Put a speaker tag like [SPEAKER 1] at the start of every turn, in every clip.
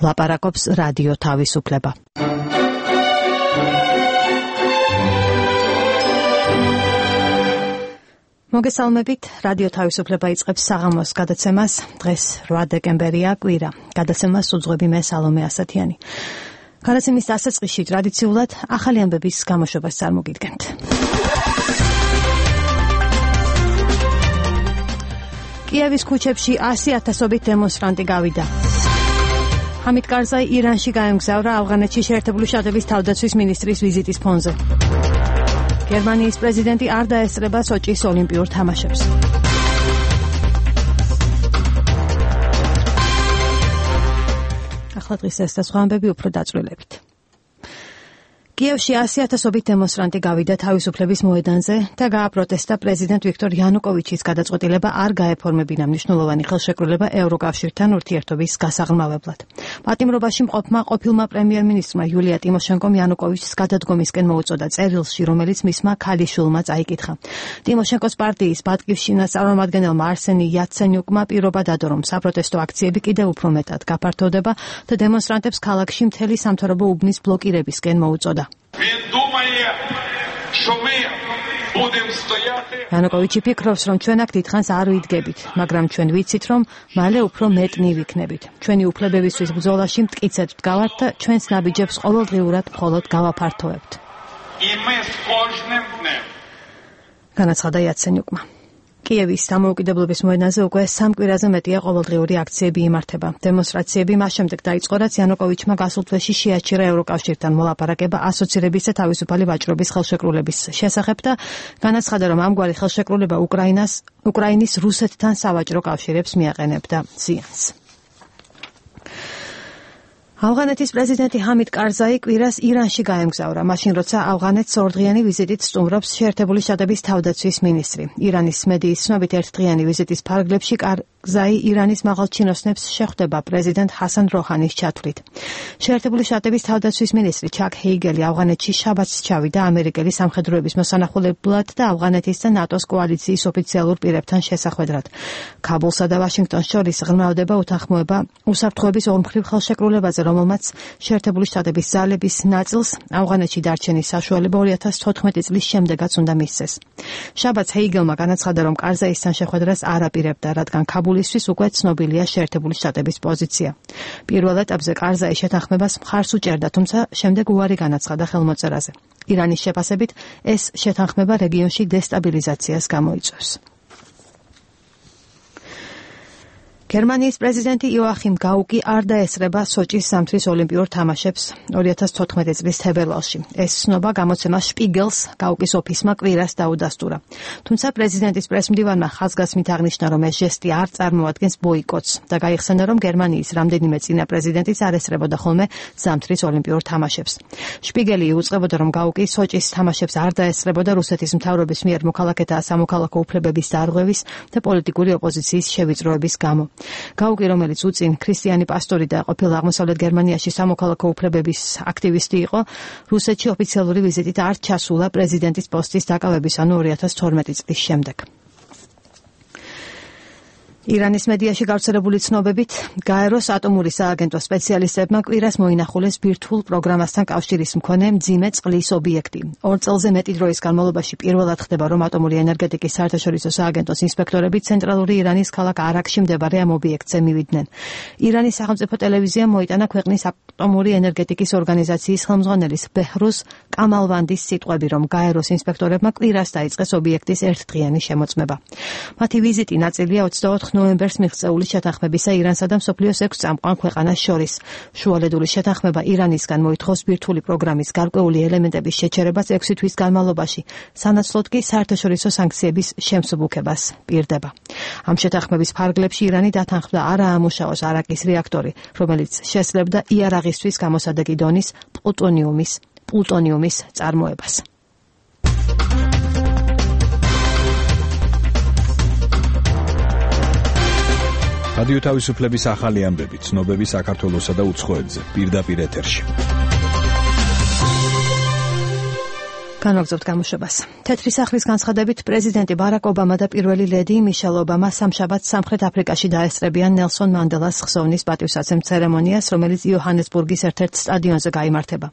[SPEAKER 1] ლაპარაკობს რადიო თავისუფლება. მოგესალმებით, რადიო თავისუფლება იწყებს საღამოს გადაცემას. დღეს 8 დეკემბერია, კვირა. გადაცემას უძღვები მე სალომე ასათიანი. გადაცემის დასაწყისში ტრადიციულად ახალი ამბების გამოშვებას წარმოგიდგენთ. კიევის ქუჩებში 100,000-ობით დემონსტრანტი გავიდა. ჰამიდ კარზაი ირანში გაემგზავრა ავღანეთში შეერთებული შტატების თავდაცვის მინისტრის ვიზიტის ფონზე. გერმანიის პრეზიდენტი არ დაესწრება სოჭის ოლიმპიურ თამაშებს. ახლა დღის ეს და სხვა ამბები უფრო დაწვრილებით. კიევში 100,000-ობით დემონსტრანტი გავიდა თავისუფლების მოედანზე და გააპროტესტა პრეზიდენტ ვიქტორ იანუკოვიჩის გადაწყვეტილება არ გაეფორმებინა მნიშვნელოვანი ხელშეკრულება ევროკავშირთან ურთიერთობის გასაღრმავებლად. პატიმრობაში მყოფმა ყოფილმა პრემიერ-მინისტრმა იულია ტიმოშენკომ იანუკოვიჩს გადადგომისკენ მოუწოდა წერილში, რომელიც მისმა ქალიშვილმა წაიკითხა. ტიმოშენკოს პარტიის ბატკივშჩინას წარმომადგენელმა არსენი იაცენიუკმა პირობა დადო, რომ საპროტესტო აქციები კიდევ უფრო მეტად გაფართოვდება და დემონსტრანტებს ქალაქში მთელი სამთავრობო უბნის ბლოკირებისკენ მოუწოდა. იანუკოვიჩი ფიქრობს, რომ ჩვენ აქ დიდხანს არ ვიდგებით, მაგრამ ჩვენ ვიცით, რომ მალე უფრო მეტნი ვიქნებით. ჩვენი უფლებებისთვის ბრძოლაში მტკიცედ ვდგავართ და ჩვენს ნაბიჯებს ყოველდღიურად მხოლოდ გავაფართოვებთ. განაცხადა იაცენიუკმა. კიევის დამოუკიდებლობის მოედანზე უკვე 3 კვირაზე მეტია ყოველდღიური აქციები იმართება. დემონსტრაციები მას შემდეგ დაიწყო, რაც იანუკოვიჩმა გასულ თვეში შეაჩერა ევროკავშირთან მოლაპარაკება ასოცირების და თავისუფალი ვაჭრობის ხელშეკრულების შესახებ და განაცხადა, რომ ამგვარი ხელშეკრულება უკრაინის რუსეთთან სავაჭრო კავშირებს მიაყენებდა ზიანს. ავღანეთის პრეზიდენტი ჰამიდ კარზაი კვირას ირანში გაემგზავრა, მაშინ როცა ავღანეთს 2დღიანი ვიზიტით სტუმრობს შეერთებული შტატების თავდაცვის მინისტრი. ირანის მედიის ცნობით ერთდღიანი ვიზიტის ფარგლებში კარზაი ირანის მაღალჩინოსნებს შეხვდება პრეზიდენტ ჰასან როჰანის ჩათვლით. შეერთებული შტატების თავდაცვის მინისტრი ჩაკ ჰეიგელი ავღანეთში შაბათს ჩავიდა ამერიკელი სამხედროების მოსანახულებლად და ავღანეთის და ნატოს კოალიციის ოფიციალურ პირებთან შესახვედრად. ქაბულსა და ვაშინგტონს შორის ღრმავდება უთანხმოება უსაფრთხოების ორმხრივ ხელშეკრულებაზე, რომელმაც შეერთებული შტატების ძალების ნაწილს ავღანეთში დარჩენის საშუალება 2014 წლის შემდეგაც უნდა მისცეს. შაბათს ჰეიგელმა განაცხადა, რომ კარზაისთან შეხვედრას არ აპირებდა, რადგან ქაბულისთვის უკვე ცნობილია შეერთებული შტატების პოზიცია. პირველ ეტაპზე კარზაი შეთანხმებას მხარს უჭერდა, თუმცა შემდეგ უარი განაცხადა ხელმოწერაზე. ირანის შეფასებით ეს შეთანხმება რეგიონში დესტაბილიზაციას გამოიწვევს. გერმანიის პრეზიდენტი იოახიმ გაუკი არ დაესწრება სოჭის სამთვის ოლიმპიურ თამაშებს 2014 წლის თებერვალში. ეს ცნობა გამოცემა შპიგელს გაუკის ოფისმა კვირას დაუდასტურა. თუმცა პრეზიდენტის პრესმდივანმა ხაზგასმით აღნიშნა, რომ ეს ჟესტი არ წარმოადგენს ბოიკოტს და გაიხსენა, რომ გერმანიის რამდენიმე წინა პრეზიდენტიც არ ესწრებოდა ხოლმე ზამთრის ოლიმპიურ თამაშებს. შპიგელი იუწყებოდა, რომ გაუკი სოჭის თამაშებს არ დაესწრებოდა რუსეთის მთავრობის მიერ მოქალაქეთა სამოქალაქო უფლებების დარღვევის და პოლიტიკური ოპოზიციის შევიწროების გამო. გაუკი, რომელიც უწინ ქრისტიანი პასტორი და ყოფილი აღმოსავლეთ გერმანიაში სამოქალაქო უფლებების აქტივისტი იყო, რუსეთში ოფიციალური ვიზიტით არ ჩასულა პრეზიდენტის პოსტის დაკავების, ანუ 2012 წლის შემდეგ. ირანის მედიაში გავრცელებული ცნობებით, გაეროს ატომური სააგენტო სპეციალისტებმა კვირას მოინახულეს ბირთვულ პროგრამასთან კავშირის მქონე მძიმე წყლის ობიექტი. 2 წელზე მეტი დროის განმავლობაში პირველად ხდება, რომ ატომური ენერგეტიკის საერთაშორისო სააგენტოს ინსპექტორები ცენტრალური ირანის ქალაქ არაკში მდებარე ამ ობიექტზე მივიდნენ. ირანის სახელმწიფო ტელევიზიამ მოიტანა ქვეყნის ატომური ენერგეტიკის ორგანიზაციის ხელმძღვანელის ბეჰრუზ კამალვანდის სიტყვები, რომ გაეროს ინსპექტორებმა კვირას დაიწყეს ობიექტის ერთდღიანი შემოწმება. მათი ვიზიტი ნაწილია 24 ნოემბერს მიღწეული შეთანხმებისა ირანსა და მსოფლიოს 6 წამყვან ქვეყანას შორის. შუალედური შეთანხმება ირანისგან მოითხოვს ბირთვული პროგრამის გარკვეული ელემენტების შეჩერებას 6 თვის განმავლობაში, სანაცვლოდ კი საერთაშორისო სანქციების შემსუბუქებას პირდება. ამ შეთანხმების ფარგლებში ირანი დათანხმდა არ აამუშავოს არაკის რეაქტორი, რომელიც შესძლებდა იარაღისთვის გამოსადეგი დონის პლუტონიუმის წარმოებას.
[SPEAKER 2] რადიო თავისუფლების ახალი ამბები, ცნობები საქართველოსა და უცხოეთზე, პირდაპირ ეთერში.
[SPEAKER 1] განვაგრძობთ გამოშვებას. თეთრი სახლის განცხადებით პრეზიდენტი ბარაკ ობამა და პირველი ლედი მიშელ ობამა სამშაბათს სამხრეთ აფრიკაში დაესწრებიან ნელსონ მანდელას ხსოვნის პატივსაცემ ცერემონიას, რომელიც იოჰანესბურგის ერთ-ერთ სტადიონზე გაიმართება.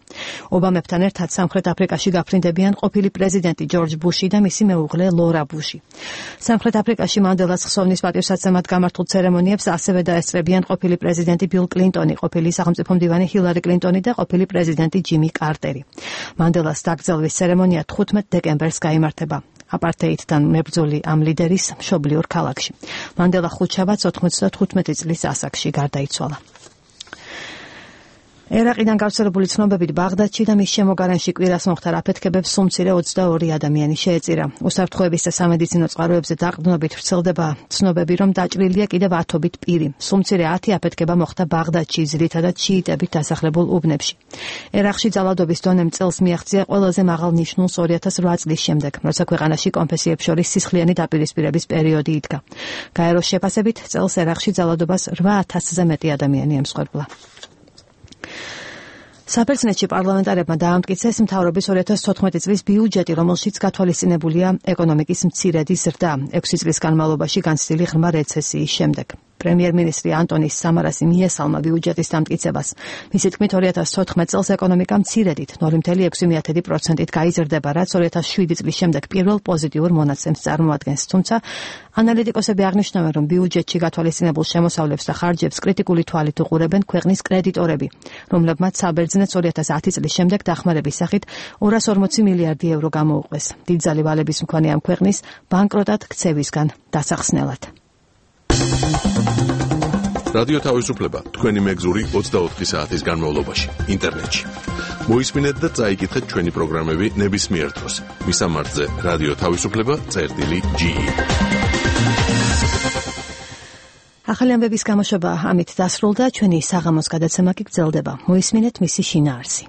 [SPEAKER 1] ობამებთან ერთად სამხრეთ აფრიკაში გაფრინდებიან ყოფილი პრეზიდენტი ჯორჯ ბუში და მისი მეუღლე ლორა ბუში. სამხრეთ აფრიკაში მანდელას ხსოვნის პატივსაცემად გამართულ ცერემონიებს ასევე დაესწრებიან ყოფილი პრეზიდენტი ბილ კლინტონი, ყოფილი სახელმწიფო მდივანი ჰილარი კლინტონი და ყოფილი პრეზიდენტი ჯიმი კარტერი. მანდელას დაკრძალვის ცერემონია 15 დეკემბერს გაიმართება. აპართეიდთან მებრძოლი ამ ლიდერის მშობლიურ ქალაქში. მანდელა ხუთშაბათს 95 წლის ასაკში გარდაიცვალა. ერაყიდან გავრცელებული ცნობებით ბაღდადში და მის შემოგარენში კვირას მოხდა აფეთქებებს სულ მცირე 22 ადამიანი შეეწირა. უსაფრთხოების და სამედიცინო წყაროებზე დაყრდნობით ვრცელდება ცნობები, რომ დაჭრილია კიდევ 10 პირი. სულ მცირე 10 აფეთქება მოხდა ბაღდადში, ძირითადად შიიტებით დასახლებულ უბნებში. ერაყში ძალადობის დონემ წელს მიაღწია ყველაზე მაღალ ნიშნულს 2008 წლის შემდეგ, როცა ქვეყანაში კონფესიებს შორის სისხლიანი დაპირისპირების პერიოდი იდგა. გაეროს შეფასებით წელს ერაყში ძალადობას 8000-ზე მეტი ადამიანი ემსხვერპლა. საბერძნეთში პარლამენტარებმა დაამტკიცეს მთავრობის 2014 წლის ბიუჯეტი, რომელშიც გათვალისწინებულია ეკონომიკის მცირედი ზრდა 6 წლის განმავლობაში განცდილი ღრმა რეცესიის შემდეგ. პრემიერ-მინისტრი ანტონის სამარასი მიესალმა ბიუჯეტის დამტკიცებას. მისი თქმით 2014 წელს ეკონომიკა მცირედით 0,6% გაიზრდება, რაც 2007 წლის შემდეგ პირველ პოზიტიურ მონაცემს წარმოადგენს. თუმცა ანალიტიკოსები აღნიშნავენ, რომ ბიუჯეტში გათვალისწინებულ შემოსავლებს და ხარჯებს კრიტიკული თვალით უყურებენ ქვეყნის კრედიტორები, რომლებმაც საბერძნეთს 2010 წლის შემდეგ დახმარების სახით 240 მილიარდი ევრო გამოუყვეს. დიდძალი ვალების მქონე ამ ქვეყნის ბანკროტად ქცევისგან დასახსნელად.
[SPEAKER 3] რადიო თავისუფლება თქვენი მეგზური 24 საათის განმავლობაში ინტერნეტში. მოისმინეთ და წაიკითხეთ ჩვენი პროგრამები ნებისმიერ დროს. მისამართზე რადიო თავისუფლება.ge.
[SPEAKER 1] ახალი ამბების გამოშვება ამით დასრულდა, ჩვენი საღამოს გადაცემა კი გრძელდება. მოისმინეთ მისი შინაარსი.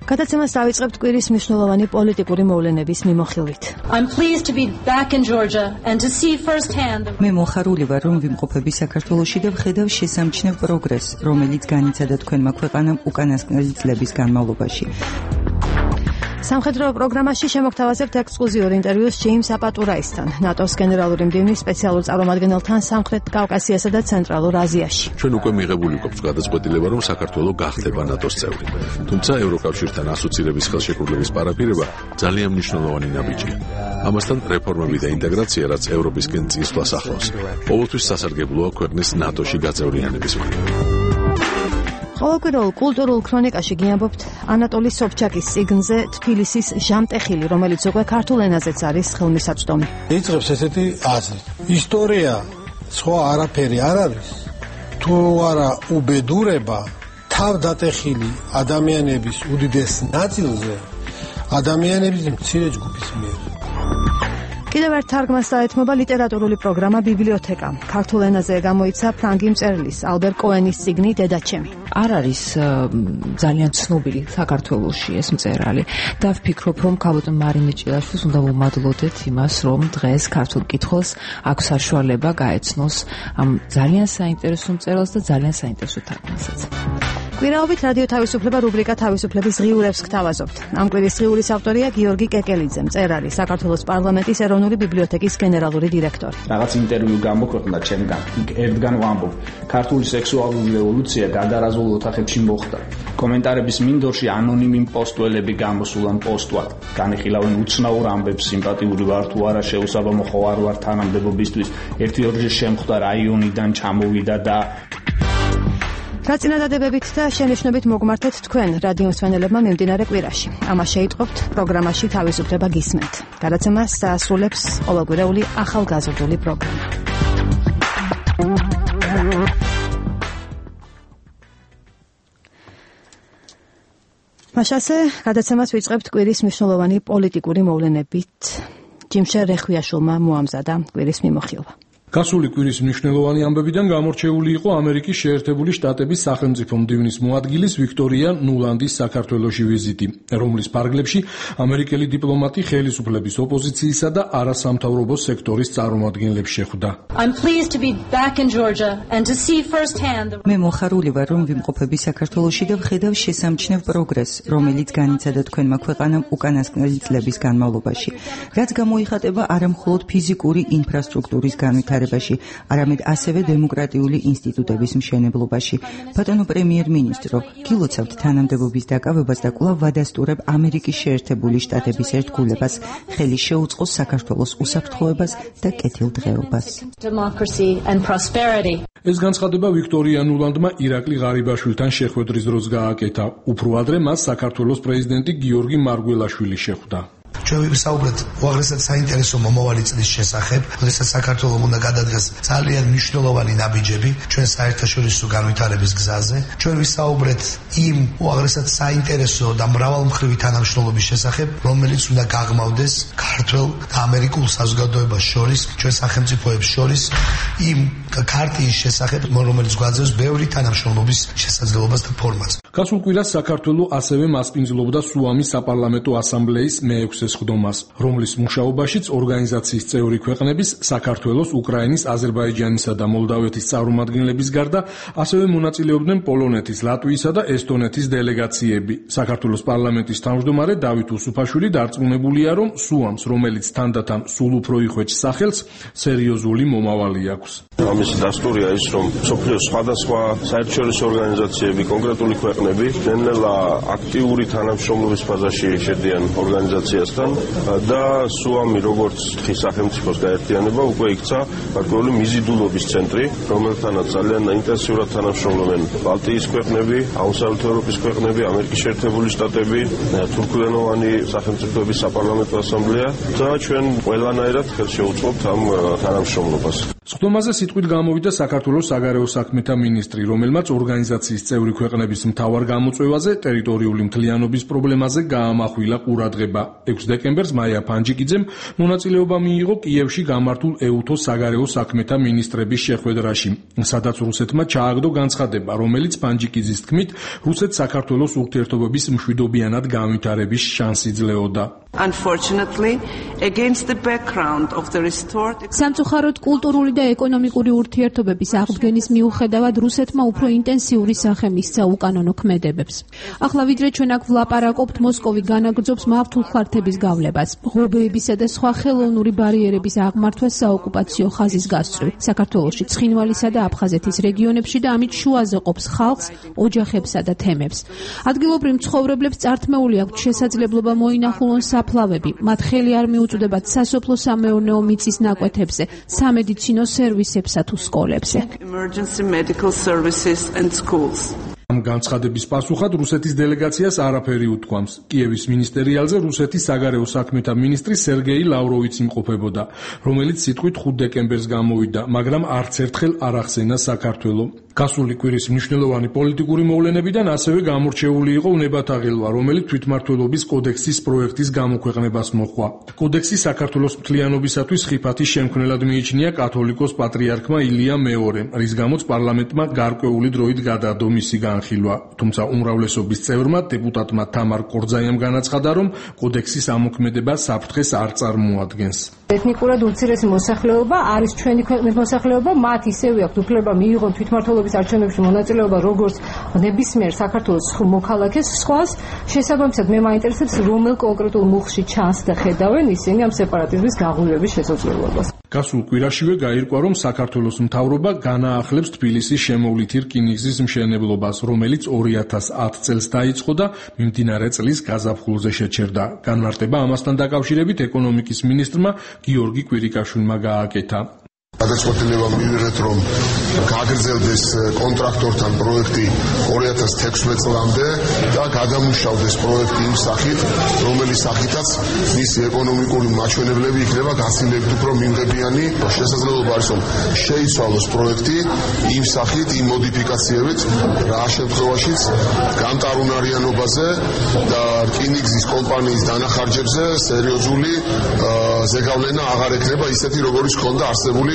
[SPEAKER 1] გადაცემას დავიწყებთ კვირის მნიშვნელოვანი პოლიტიკური მოვლენების მიმოხილვით.
[SPEAKER 4] მე მოხარული ვარ, რომ ვიმყოფები საქართველოში და ვხედავ შესამჩნევ პროგრესს, რომელიც განიცადა თქვენმა ქვეყანამ უკანასკნელი წლების განმავლობაში.
[SPEAKER 1] სამხედრო პროგრამაში შემოგთავაზებთ ექსკლუზიურ ინტერვიუს ჯეიმს აპატურაისთან, ნატოს გენერალური მდივნის სპეციალურ წარმომადგენელთან სამხრეთ კავკასიასა და ცენტრალურ აზიაში.
[SPEAKER 3] ჩვენ უკვე მიღებული გვაქვს გადაწყვეტილება, რომ საქართველო გახდება ნატოს წევრი. თუმცა ევროკავშირთან ასოცირების ხელშეკრულების პარაფირება ძალიან მნიშვნელოვანი ნაბიჯია. ამასთან რეფორმები და ინტეგრაცია, რაც ევროპისკენ წინსვლას ახლავს, ყოველთვის სასარგებლოა ქვეყნის ნატოში გაწევრიანების მხრივ.
[SPEAKER 1] ყოველკვირეულ კულტურულ ქრონიკაში გიამბობთ ანატოლი სობჩაკის წიგნზე თბილისის ჟამტეხილი, რომელიც უკვე ქართულ ენაზეც არის ხელმისაწვდომი.
[SPEAKER 5] იწყებს ესეთი აზრით. ისტორია სხვა არაფერი არ არის, თუ არა უბედურება თავდატეხილი ადამიანების უდიდეს ნაწილზე ადამიანების მცირე ჯგუფის მიერ.
[SPEAKER 1] კიდევ ერთ თარგმანს დაეთმობა ლიტერატურული პროგრამა ბიბლიოთეკა. ქართულ ენაზე გამოიცა ფრანგი მწერლის ალბერ კოენის წიგნი დედაჩემი.
[SPEAKER 6] არ არის ძალიან ცნობილი საქართველოში ეს მწერალი და ვფიქრობ, რომ ქალბატონ მარინე ჭილაშვილს უნდა ვუმადლოდეთ იმას, რომ დღეს ქართულ კითხულს აქვს საშუალება გაეცნოს ამ ძალიან საინტერესო მწერალს და ძალიან საინტერესო თარგმანსაც. კვირაობით რადიო თავისუფლება რუბრიკა თავისუფლების ღიურებს გთავაზობთ. ამ კვირის ღიურის ავტორია გიორგი კეკელიძე, მწერალი, საქართველოს პარლამენტის ეროვნული ბიბლიოთეკის გენერალური დირექტორი.
[SPEAKER 7] რაღაც ინტერვიუ გამოქვეყნდა ჩემგან. ერთგან ვამბობ, ქართული სექსუალური რევოლუცია გადარაზულ ოთახებში მოხდა. კომენტარების მინდორში ანონიმი პოსტველები გამოსულან პოსტვად. განიხილავენ უცნაურ ამბებს, სიმპათიური ვარ თუ არა, შეუსაბამო ხო არ ვარ თანამდებობისთვის. ერთი-ორჯერ შემხვდა რაიონიდან ჩამოვიდა და
[SPEAKER 1] რა წინადადებებით და შენიშვნებით მოგმართეთ თქვენ რადიო მსმენელებმა მიმდინარე კვირაში. ამას შეიტყობთ პროგრამაში თავისუფლება გისმენთ. გადაცემას დაასრულებს ყოველკვირეული ახალგაზრდული პროგრამა. მაშასე გადაცემას ვიწყებთ კვირის მნიშვნელოვანი პოლიტიკური მოვლენებით. ჯიმშე რეხვიაშვილმა მოამზადა კვირის მიმოხილვა.
[SPEAKER 8] გასული კვირის მნიშვნელოვანი ამბებიდან გამორჩეული იყო ამერიკის შეერთებული შტატების სახელმწიფო მდივნის მოადგილის ვიქტორია ნულანდის საქართველოში ვიზიტი, რომლის ფარგლებში ამერიკელი დიპლომატი ხელისუფლების ოპოზიციისა და არასამთავრობო სექტორის წარმომადგენლებს შეხვდა.
[SPEAKER 4] მე მოხარული ვარ, რომ ვიმყოფები საქართველოში და ვხედავ შესამჩნევ პროგრესს, რომელიც განიცადა თქვენმა ქვეყანამ უკანასკნელი წლების განმავლობაში, რაც გამოიხატება არა მხოლოდ ფიზიკური ინფრასტრუქტურის განვითარებაში, არამედ ასევე დემოკრატიული ინსტიტუტების მშენებლობაში. ბატონო პრემიერ-მინისტრო, გილოცავთ თანამდებობის დაკავებას და კვლავ ვადასტურებ ამერიკის შეერთებული შტატების ერთგულებას, ხელი შეუწყოს საქართველოს უსაფრთხოებას და კეთილდღეობას.
[SPEAKER 8] ეს განცხადება ვიქტორია ნულანდმა ირაკლი ღარიბაშვილთან შეხვედრის დროს გააკეთა. უფრო ადრე მას საქართველოს პრეზიდენტი გიორგი მარგველაშვილი შეხვდა.
[SPEAKER 9] ჩვენ ვისაუბრეთ უაღრესად საინტერესო მომავალი წლის შესახებ, როდესაც საქართველოს უნდა გადადგეს ძალიან მნიშვნელოვანი ნაბიჯები ჩვენ საერთაშორისო განვითარების გზაზე. ჩვენ ვისაუბრეთ იმ უაღრესად საინტერესო და მრავალმხრივი თანამშრომლობის შესახებ, რომელიც უნდა გაღრმავდეს ქართულ და ამერიკულ საზოგადოებას შორის, ჩვენ სახელმწიფოებს შორის, იმ ქარტიის შესახებ, რომელიც გვაძლევს ბევრი თანამშრომლობის შესაძლებლობას და ფორმას.
[SPEAKER 8] გასულ კვირას საქართველო ასევე მასპინძლობდა სუამის საპარლამენტო ასამბლეის მე-6 სხდომას, რომლის მუშაობაშიც ორგანიზაციის წევრი ქვეყნების საქართველოს, უკრაინის, აზერბაიჯანისა და მოლდავეთის წარმომადგენლების გარდა ასევე მონაწილეობდნენ პოლონეთის, ლატვიისა და ესტონეთის დელეგაციები. საქართველოს პარლამენტის თავმჯდომარე დავით უსუფაშვილი დარწმუნებულია, რომ სუამს, რომელიც თანდათან სულ უფრო იხვეჭს სახელს, სერიოზული მომავალი აქვს.
[SPEAKER 10] ამის დასტურია ის, რომ მსოფლიოს სხვადასხვა საერთაშორისო ორგანიზაციები, კონკრეტული ქვეყნები ნელ-ნელა აქტიური თანამშრომლობის ფაზაში შედიან ორგანიზაციასთან და სუამი, როგორც სახელმწიფოს გაერთიანება, უკვე იქცა გარკვეული მიზიდულობის ცენტრი, რომელთანაც ძალიან ინტენსიურად თანამშრომლობენ ბალტიის ქვეყნები, აღმოსავლეთ ევროპის ქვეყნები, ამერიკის შეერთებული შტატები, თურქულენოვანი სახელმწიფოების საპარლამენტო ასამბლეა და ჩვენ ყველანაირად ხელს შევუწყობთ ამ თანამშრომლობას.
[SPEAKER 8] სხდომაზე სიტყვით გამოვიდა საქართველოს საგარეო საქმეთა მინისტრი, რომელმაც ორგანიზაციის წევრი ქვეყნების მთავარ გამოწვევაზე, ტერიტორიული მთლიანობის პრობლემაზე გაამახვილა ყურადღება. 6 დეკემბერს მაია ფანჯიკიძემ მონაწილეობა მიიღო კიევში გამართულ ეუთოს საგარეო საქმეთა მინისტრების შეხვედრაში, სადაც რუსეთმა ჩააგდო განცხადება, რომელიც ფანჯიკიძის თქმით, რუსეთ-საქართველოს ურთიერთობების მშვიდობიანად განვითარების შანსი ძლეოდა.
[SPEAKER 11] სამწუხაროდ კულტურული და ეკონომიკური ურთიერთობების აღდგენის მიუხედავად რუსეთმა უფრო ინტენსიური სახე მისცა უკანონო ქმედებებს. ახლა ვიდრე ჩვენ აქ ვლაპარაკობთ, მოსკოვი განაგრძობს მავთულ ხართების გავლებას, ღობეებისა და სხვა ხელოვნური ბარიერების აღმართვას საოკუპაციო ხაზის გასწვრივ, საქართველოში, ცხინვალისა და აფხაზეთის რეგიონებში და ამით შუაზე ყოფს ხალხს, ოჯახებსა და თემებს. ადგილობრივ მცხოვრებლებს წართმეული აქვთ შესაძლებლობა მოინახულონ საფლავები, მათ ხელი არ მიუწვდებათ სასოფლო-სამეურნეო მიწის ნაკვეთებზე, სამედიცინო სერვისებსა თუ სკოლებზე.
[SPEAKER 8] ამ განცხადების პასუხად რუსეთის დელეგაციას არაფერი უთქვამს. კიევის მინისტერიალზე რუსეთის საგარეო საქმეთა მინისტრი სერგეი ლავროვიცი იმყოფებოდა, რომელიც სიტყვით 5 დეკემბერს გამოვიდა, მაგრამ არც ერთხელ არ ახსენა საქართველო. გასული კვირის მნიშვნელოვანი პოლიტიკური მოვლენებიდან ასევე გამორჩეული იყო უნებათაღელვა, რომელიც თვითმმართველობის კოდექსის პროექტის გამოქვეყნებას მოჰყვა. კოდექსი საქართველოს მთლიანობისათვის ხიფათის შემქმნელად მიიჩნია კათოლიკოს პატრიარქმა ილია მეორემ, რის გამოც პარლამენტმა გარკვეული დროით გადაადო მისი განხილვა. თუმცა უმრავლესობის წევრმა დეპუტატმა თამარ კორძაიამ განაცხადა, რომ კოდექსის ამოქმედება საფრთხეს არ წარმოადგენს.
[SPEAKER 12] ეთნიკურად უცირესი მოსახლეობა არის ჩვენი ქვეყნის მოსახლეობა, მათ ისევე აქვთ უფლება მიიღონ თვითმმართველობის არჩევნებში მონაწილეობა როგორც ნებისმიერ საქართველოს მოქალაქეს. სხვას შესაბამისად მე მაინტერესებს რომელ კონკრეტულ მუხში ჩანს და ხედავენ ისინი ამ სეპარატიზმის გაღვივების შესაძლებლობას.
[SPEAKER 8] გასულ კვირაშივე გაირკვა, რომ საქართველოს მთავრობა განაახლებს თბილისის შემოვლითი რკინიგზის მშენებლობას, რომელიც 2010 წელს დაიწყო და მიმდინარე წლის გაზაფხულზე შეჩერდა. განმარტება ამასთან დაკავშირებით ეკონომიკის მინისტრმა გიორგი კვირიკაშვილმა გააკეთა.
[SPEAKER 13] გადაწყვეტილება მივიღეთ, რომ გაგრძელდეს კონტრაქტორთან პროექტი 2016 წლამდე და გადამუშავდეს პროექტი იმ სახით, რომელიც სახითაც მისი ეკონომიკური მაჩვენებლები იქნება გაცილებით უფრო მიმღებიანი. შესაძლებლობა არის, რომ შეიცვალოს პროექტი იმ სახით, იმ მოდიფიკაციებით, რა შემთხვევაშიც გამტარუნარიანობაზე და რკინიგზის კომპანიის დანახარჯებზე სერიოზული ზეგავლენა აღარ ექნება ისეთი, როგორიც ჰქონდა არსებული.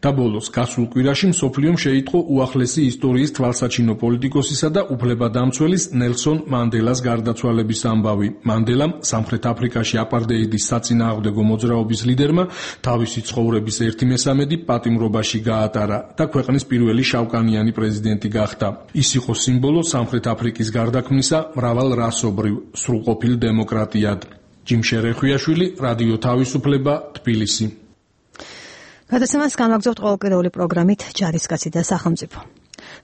[SPEAKER 8] და ბოლოს გასულ კვირაში მსოფლიომ შეიტყო უახლესი ისტორიის თვალსაჩინო პოლიტიკოსისა და უფლებადამცველის ნელსონ მანდელას გარდაცვალების ამბავი. მანდელამ სამხრეთ აფრიკაში აპარტეიდის საწინააღმდეგო მოძრაობის ლიდერმა თავისი ცხოვრების 1/3 პატიმრობაში გაატარა და ქვეყნის პირველი შავკანიანი პრეზიდენტი გახდა. ის იყო სიმბოლო სამხრეთ აფრიკის გარდაქმნისა მრავალრასობრივ სრულყოფილ დემოკრატიად. ჯიმ შერეხვიაშვილი, რადიო თავისუფლება, თბილისი.
[SPEAKER 1] გადაცემას განვაგრძობთ ყოველკვირეული პროგრამით ჯარისკაცი და სახელმწიფო.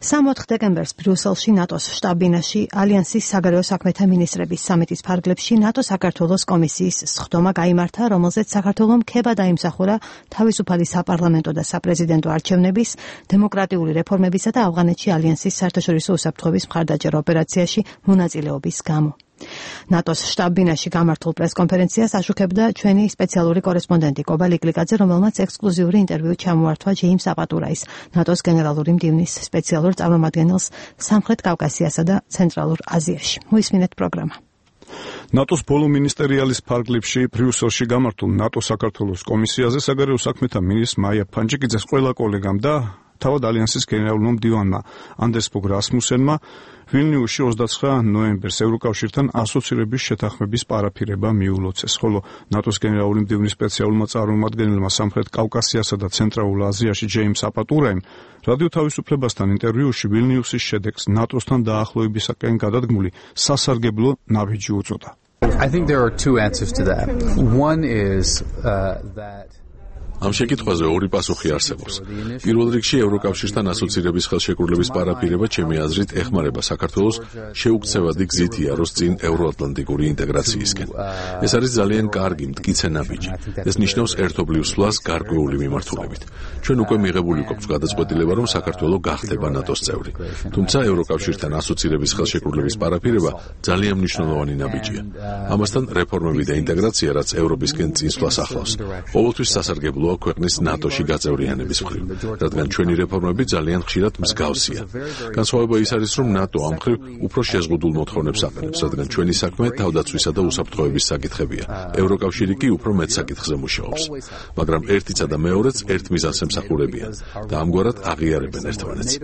[SPEAKER 1] 3-4 დეკემბერს ბრიუსელში ნატოს შტაბ-ბინაში ალიანსის საგარეო საქმეთა მინისტრების სამიტის ფარგლებში ნატო-საქართველოს კომისიის სხდომა გაიმართა, რომელზეც საქართველომ ქება დაიმსახურა თავისუფალი საპარლამენტო და საპრეზიდენტო არჩევნების, დემოკრატიული რეფორმებისა და ავღანეთში ალიანსის საერთაშორისო უსაფრთხოების მხარდაჭერა ოპერაციაში მონაწილეობის გამო. ნატოს შტაბ-ბინაში გამართულ პრესკონფერენციას აშუქებდა ჩვენი სპეციალური კორესპონდენტი კობა ლიკლიკაძე, რომელმაც ექსკლუზიური ინტერვიუ ჩამოართვა ჯეიმს აპატურაის, ნატოს გენერალური მდივნის სპეციალურ წარმომადგენელს სამხრეთ კავკასიასა და ცენტრალურ აზიაში. მოისმინეთ პროგრამა.
[SPEAKER 2] ნატოს ბოლო მინისტერიალის ფარგლებში ბრიუსელში გამართულ ნატო-საქართველოს კომისიაზე საგარეო საქმეთა მინისტრ მაია ფანჯიკიძეს ყველა კოლეგამ და თავად ალიანსის გენერალურმა მდივანმა ანდერს ფოგ რასმუსენმა ვილნიუსში 29 ნოემბერს ევროკავშირთან ასოცირების შეთანხმების პარაფირება მიულოცეს, ხოლო ნატოს გენერალური მდივნის სპეციალურმა წარმომადგენელმა სამხრეთ კავკასიასა და ცენტრალურ აზიაში ჯეიმს აპატურაიმ რადიო თავისუფლებასთან ინტერვიუში ვილნიუსის შედეგს ნატოსთან დაახლოებისაკენ გადადგმული სასარგებლო ნაბიჯი უწოდა.
[SPEAKER 14] I think there are two answers to that. One is that
[SPEAKER 3] ამ შეკითხვაზე ორი პასუხი არსებობს. პირველ რიგში ევროკავშირთან ასოცირების ხელშეკრულების პარაფირება ჩემი აზრით ეხმარება საქართველოს შეუქცევადი გზით იაროს წინ ევროატლანტიკური ინტეგრაციისკენ. ეს არის ძალიან კარგი მტკიცე ნაბიჯი. ეს ნიშნავს ერთობლივ სვლას გარკვეული მიმართულებით. ჩვენ უკვე მიღებული გვაქვს გადაწყვეტილება, რომ საქართველო გახდება ნატოს წევრი. თუმცა ევროკავშირთან ასოცირების ხელშეკრულების პარაფირება ძალიან მნიშვნელოვანი ნაბიჯია. ამასთან რეფორმები და ინტეგრაცია, რაც ევროპისკენ წინსვლას ახლავს, ყოველთვის სასარგებლოა ქვეყნის ნატოში გაწევრიანების მხრივ, რადგან ჩვენი რეფორმები ძალიან ხშირად მსგავსია. განსხვავება ის არის, რომ ნატო ამ მხრივ უფრო შეზღუდულ მოთხოვნებს აყენებს, რადგან ჩვენი საქმე თავდაცვისა და უსაფრთხოების საკითხებია. ევროკავშირი კი უფრო მეტ საკითხზე მუშაობს. მაგრამ ერთიცა და მეორეც ერთ მიზანს ემსახურებიან და ამგვარად აღიარებენ ერთმანეთს.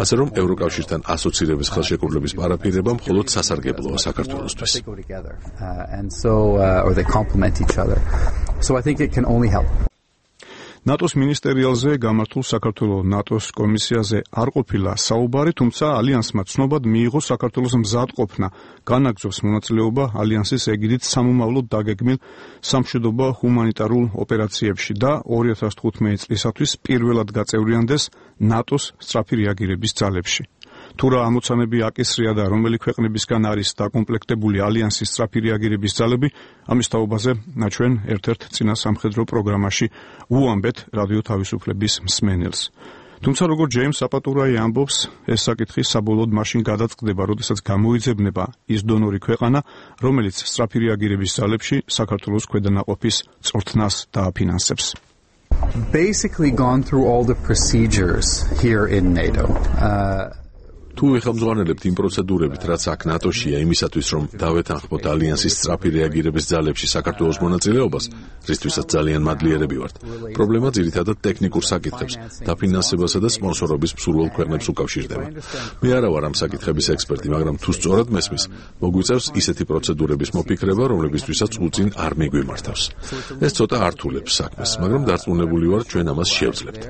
[SPEAKER 3] ასე რომ ევროკავშირთან ასოცირების ხელშეკრულების პარაფირება მხოლოდ სასარგებლოა საქართველოსთვის.
[SPEAKER 14] So I think it can only help.
[SPEAKER 2] ნატოს მინისტერიალზე გამართულ საქართველოს ნატოს კომისიაზე არ ყოფილა საუბარი, თუმცა ალიანსმა ცნობად მიიღო საქართველოს მზადყოფნა განაგრძობს მონაწილეობა ალიანსის ეგიდით სამომავლოდ დაგეგმილ სამშვიდობო ჰუმანიტარულ ოპერაციებში და 2015 წლისათვის პირველად გაწევრიანდეს ნატოს სწრაფი რეაგირების ძალებში. თუ რა ამოცანები აკისრია და რომელი ქვეყნებისგან არის დაკომპლექტებული ალიანსის სწრაფი რეაგირების ძალები, ამის თაობაზე ჩვენ ერთ-ერთ წინა სამხედრო პროგრამაში უამბეთ რადიო თავისუფლების მსმენელს. თუმცა როგორც ჯეიმს აპატურაი ამბობს, ეს საკითხი საბოლოოდ მაშინ გადაწყდება, როდესაც გამოიძებნება ის დონორი ქვეყანა, რომელიც სწრაფი რეაგირების ძალებში საქართველოს ქვედანაყოფის წვრთნას დააფინანსებს.
[SPEAKER 14] Basically gone through all the procedures here in NATO.
[SPEAKER 3] თუ ეხამძღვანელებთ იმ პროცედურებით, რაც აქ ნატოშია იმისათვის, რომ დავეთანხმოთ ალიანსის სწრაფი რეაგირების ძალებში საქართველოს მონაწილეობას, რისთვისაც ძალიან მადლიერები ვართ. პრობლემა ძირითადად ტექნიკურ საკითხებს, დაფინანსებასა და სპონსორობის მსურველ ქვეყნებს უკავშირდება. მე არა ვარ ამ საკითხების ექსპერტი, მაგრამ თუ სწორად მესმის, მოგვიწევს ისეთი პროცედურების მოფიქრება, რომლებისთვისაც უწინ არ მიგვიმართავს. ეს ცოტა ართულებს საქმეს, მაგრამ დარწმუნებული ვარ, ჩვენ ამას შევძლებთ.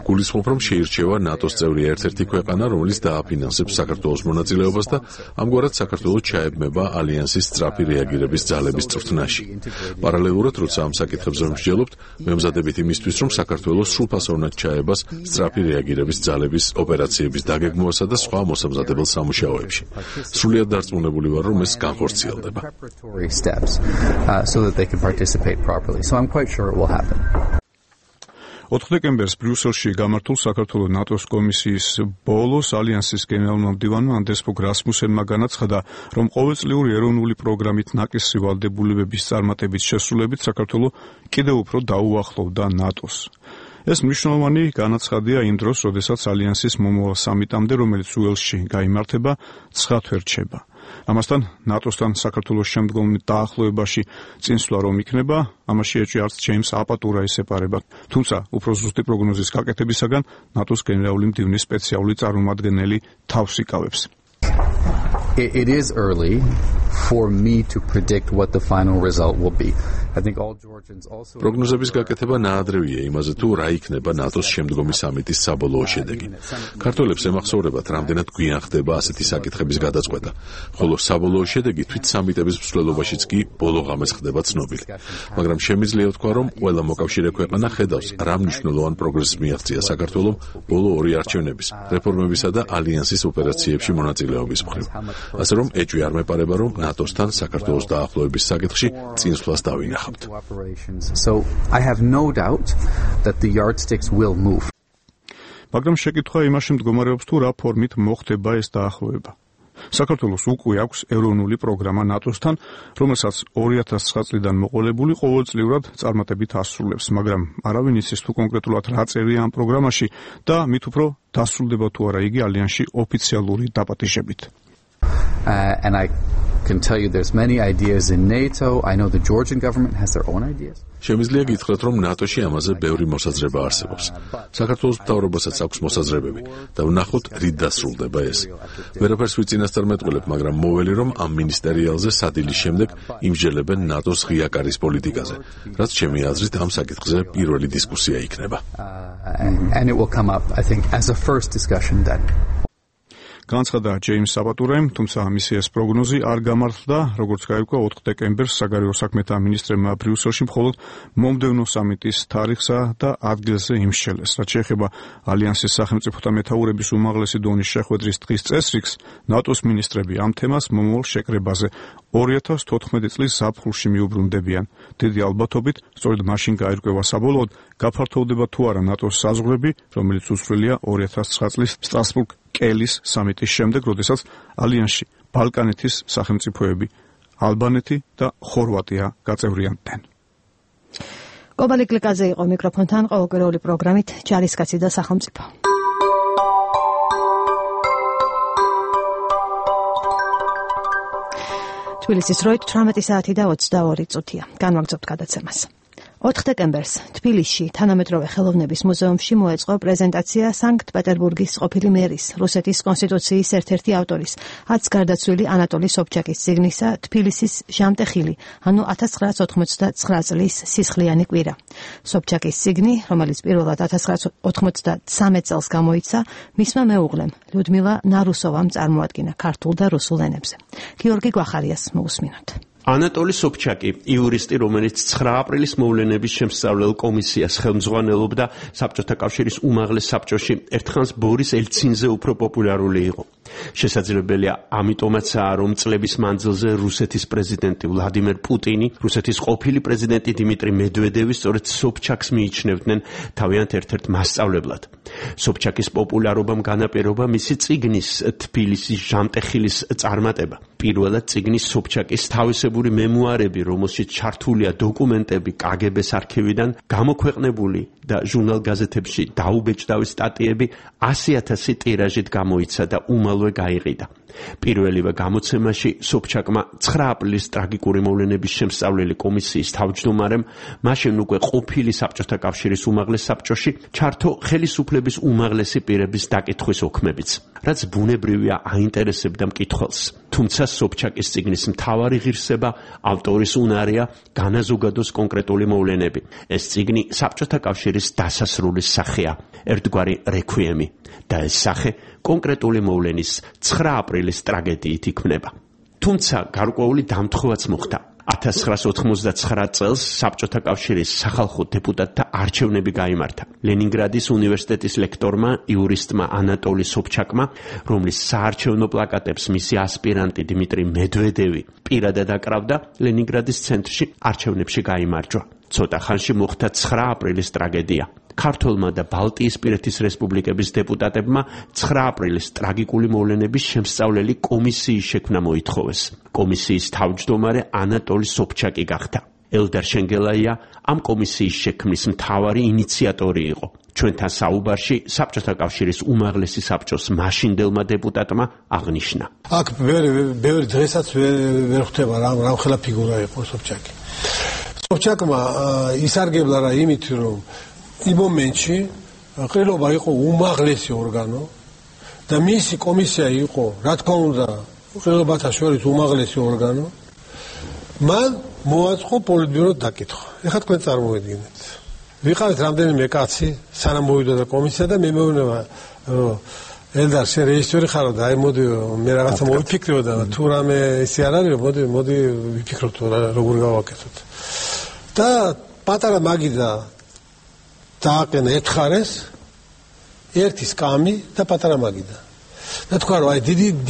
[SPEAKER 3] გულისხმობ, რომ შეირჩევა ნატოს წევრი ერთ-ერთი ქვეყანა, რომელიც დააფინანსებს საქართველოს მონაწილეობას და ამგვარად საქართველოს ჩაებმება ალიანსის სწრაფი რეაგირების ძალების წვრთნაში. პარალელურად, როცა ამ საკითხებზე მსჯელობთ, მემზადებით იმისთვის, რომ საქართველოს სრულფასოვნად ჩაებას სწრაფი რეაგირების ძალების ოპერაციების დაგეგმვასა და სხვა მოსამზადებელ სამუშაოებში. სრულიად დარწმუნებული ვარ, რომ ეს განხორციელდება.
[SPEAKER 14] So that they can participate properly. So I'm quite sure it will happen.
[SPEAKER 2] 4 დეკემბერს ბრიუსელში გამართულ საქართველოს ნატოს კომისიის ბოლოს ალიანსის გენერალურმა მდივანმა ანდერს ფოგ რასმუსენმა განაცხადა, რომ ყოველწლიური ეროვნული პროგრამით ნაკისრი ვალდებულებების წარმატებით შესრულებით საქართველოს კიდევ უფრო დაუახლოვდა ნატოს. ეს მნიშვნელოვანი განაცხადია იმ დროს, როდესაც ალიანსის მომავალ სამიტამდე, რომელიც უელსში გაიმართება, 9 თვე რჩება. ამასთან ნატოსთან საქართველოს შემდგომ დაახლოებაში წინსვლა რომ იქნება, ამაში ეჭვი არც ჯეიმს აპატურაის ეპარება. თუმცა უფრო ზუსტი პროგნოზის გაკეთებისაგან ნატოს გენერალური მდივნის სპეციალური წარმომადგენელი თავს იკავებს.
[SPEAKER 14] It is early for me to predict what the final result will be. I think all Georgians also
[SPEAKER 3] პროგნოზების გაკეთება ნაადრევია იმაზე თუ რა იქნება ნატოს შემდგომი სამიტის საბოლოო შედეგი. ქართველებს ემახსოვრებათ, რამდენად გვიან ხდება ასეთი საკითხების გადაწყვეტა, ხოლო საბოლოო შედეგი თვით სამიტების მსვლელობაშიც კი ბოლო ღამეს ხდება ცნობილი. მაგრამ შემიძლია ვთქვა, რომ ყველა მოკავშირე ქვეყანა ხედავს, რა მნიშვნელოვან პროგრესს მიაღწია საქართველომ ბოლო ორი არჩევნების, რეფორმებისა და ალიანსის ოპერაციებში მონაწილეობის მხრივ. ასე რომ ეჭვი არ მეპარება, რომ ნატოსთან საქართველოს დაახლოების საკითხში წინსვლას დავინახავთ.
[SPEAKER 14] So I have no doubt that the yardsticks will move.
[SPEAKER 2] მაგრამ შეკითხვა იმაში მდგომარეობს, თუ რა ფორმით მოხდება ეს დაახლოება. საქართველოს უკვე აქვს ეროვნული პროგრამა ნატოსთან, რომელსაც 2009 წლიდან მოყოლებული ყოველწლიურად წარმატებით ასრულებს, მაგრამ არავინ იცის თუ კონკრეტულად რა წერია ამ პროგრამაში და მით უფრო დასრულდება თუ არა იგი ალიანსში ოფიციალური დაპატიჟებით.
[SPEAKER 14] And I can tell you there's many ideas in NATO. I know the Georgian government has their own ideas.
[SPEAKER 3] შემიძლია გითხრათ, რომ ნატოში ამაზე ბევრი მოსაზრება არსებობს. საქართველოს მთავრობასაც აქვს მოსაზრებები და ვნახოთ, რით დასრულდება ეს. ვერაფერს ვიწინასწარმეტყველებ, მაგრამ მოველი, რომ ამ მინისტერიალზე სადილის შემდეგ იმსჯელებენ ნატოს ღია კარის პოლიტიკაზე, რაც ჩემი აზრით ამ საკითხზე პირველი დისკუსია იქნება.
[SPEAKER 14] And it will come up, I think, as a first discussion then.
[SPEAKER 2] განცხადა ჯეიმს აპატურაიმ, თუმცა მისი ეს პროგნოზი არ გამართლდა, როგორც გაირკვა 4 დეკემბერს საგარეო საქმეთა მინისტრებმა ბრიუსელში მხოლოდ მომდევნო სამიტის თარიღსა და ადგილზე იმსჯელეს. რაც შეეხება ალიანსის სახელმწიფოთა მეთაურების უმაღლესი დონის შეხვედრის დღის წესრიგს, ნატოს მინისტრები ამ თემას მომავალ შეკრებაზე 2014 წლის ზაფხულში მიუბრუნდებიან. დიდი ალბათობით, სწორედ მაშინ გაირკვევა საბოლოოდ, გაფართოვდება თუ არა ნატოს საზღვრები, რომელიც უცვლელია 2009 წლის სტრასბურგ კელის სამიტის შემდეგ, როდესაც ალიანსში ბალკანეთის სახელმწიფოები ალბანეთი და ხორვატია გაწევრიანდნენ.
[SPEAKER 1] კობალი კლიკაზე იყო მიკროფონთან ყოველკვირეული პროგრამით ჯარისკაცი და სახელმწიფო. თბილისის დროით 18 საათი და 22 წუთია. განვაგრძობთ გადაცემას. 4 დეკემბერს თბილისში თანამედროვე ხელოვნების მუზეუმში მოეწყო პრეზენტაცია სანქტ-პეტერბურგის ყოფილი მერის, რუსეთის კონსტიტუციის ერთ-ერთი ავტორის, აც გარდაცვლილი ანატოლი სობჩაკის წიგნისა თბილისის ჟამტეხილი, ანუ 1989 წლის სისხლიანი კვირა. სობჩაკის წიგნი, რომელიც პირველად 1993 წელს გამოიცა, მისმა მეუღლემ, ლიუდმილა ნარუსოვამ წარმოადგინა ქართულ და რუსულ ენებზე. გიორგი გვახარიას მოусმინოთ.
[SPEAKER 15] ანატოლი სობჩაკი, იურისტი, რომელიც 9 აპრილის მოვლენების შემსწავლელ კომისიას ხელმძღვანელობდა საბჭოთა კავშირის უმაღლეს საბჭოში, ერთხანს ბორის ელცინზე უფრო პოპულარული იყო. შესაძლებელია ამიტომაცაა, რომ წლების მანძილზე რუსეთის პრეზიდენტი ვლადიმერ პუტინი, რუსეთის ყოფილი პრეზიდენტი დიმიტრი მედვედევი სწორედ სობჩაკს მიიჩნევდნენ თავიანთ ერთ-ერთ მასწავლებლად. სობჩაკის პოპულარობამ განაპირობა მისი წიგნის თბილისის ჟამტეხილის წარმატება. პირველად წიგნის სობჩაკის თავისებური მემუარები, რომელშიც ჩართულია დოკუმენტები კგბ-ს არქივიდან, გამოქვეყნებული და ჟურნალ-გაზეთებში დაუბეჭდავი სტატიები 100,000 ტირაჟით გამოიცა და უმალვე გაიყიდა. პირველივე გამოცემაში სობჩაკმა 9 აპრილის ტრაგიკური მოვლენების შემსწავლელი კომისიის თავმჯდომარემ, მაშინ უკვე ყოფილი საბჭოთა კავშირის უმაღლეს საბჭოში, ჩართო ხელისუფლების უმაღლესი პირების დაკითხვის ოქმებიც, რაც ბუნებრივია აინტერესებდა მკითხველს. თუმცა სობჩაკის წიგნის მთავარი ღირსება ავტორის უნარია განაზოგადოს კონკრეტული მოვლენები. ეს წიგნი საბჭოთა კავშირის დასასრულის სახეა, ერთგვარი რექვიემი და ეს სახე კონკრეტული მოვლენის 9 აპრილის ტრაგედიით იქმნება. თუმცა გარკვეული დამთხოვაც მოხდა. 1989 წელს საბჭოთა კავშირის სახალხო დეპუტატთა არჩევნები გაიმართა. ლენინგრადის უნივერსიტეტის ლექტორმა, იურისტმა ანატოლი სობჩაკმა, რომლის საარჩევნო პლაკატებს მისი ასპირანტი დიმიტრი მედვედევი პირადად აკრავდა, ლენინგრადის ცენტრში არჩევნებში გაიმარჯვა. ცოტა ხანში მოხდა 9 აპრილის ტრაგედია. ქართველმა და ბალტიისპირეთის რესპუბლიკების დეპუტატებმა 9 აპრილის ტრაგიკული მოვლენების შემსწავლელი კომისიის შექმნა მოითხოვეს. კომისიის თავმჯდომარე ანატოლი სობჩაკი გახდა. ელდარ შენგელაია ამ კომისიის შექმნის მთავარი ინიციატორი იყო. ჩვენთან საუბარში საბჭოთა კავშირის უმაღლესი საბჭოს მაშინდელმა დეპუტატმა აღნიშნა.
[SPEAKER 5] აქ ბევრი დღესაც ვერ ხვდება რამხელა ფიგურა იყო სოფჩაკი. სოფჩაკმა ისარგებლა რა იმით, რომ იმ მომენტში ყრილობა იყო უმაღლესი ორგანო და მისი კომისია იყო, რა თქმა უნდა, ყრილობათა შორის უმაღლესი ორგანო. მან მოაწყო პოლიტბიუროს დაკითხვა. ეხლა თქვენ წარმოედგინეთ. ვიყავით რამდენიმე კაცი, სანამ მოვიდოდა კომისია და მე მეუბნება, რომ ელდარ შენ რეჟისორი ხარო და აი მოდი მე რაღაცა მოვიფიქრიო და თუ რამე ისე არ არის, მოდი ვიფიქროთ როგორ გავაკეთოთ. და პატარა მაგიდა დააყენა ერთხარეს ერთი სკამი და პატარა მაგიდა. და თქვა რომ აი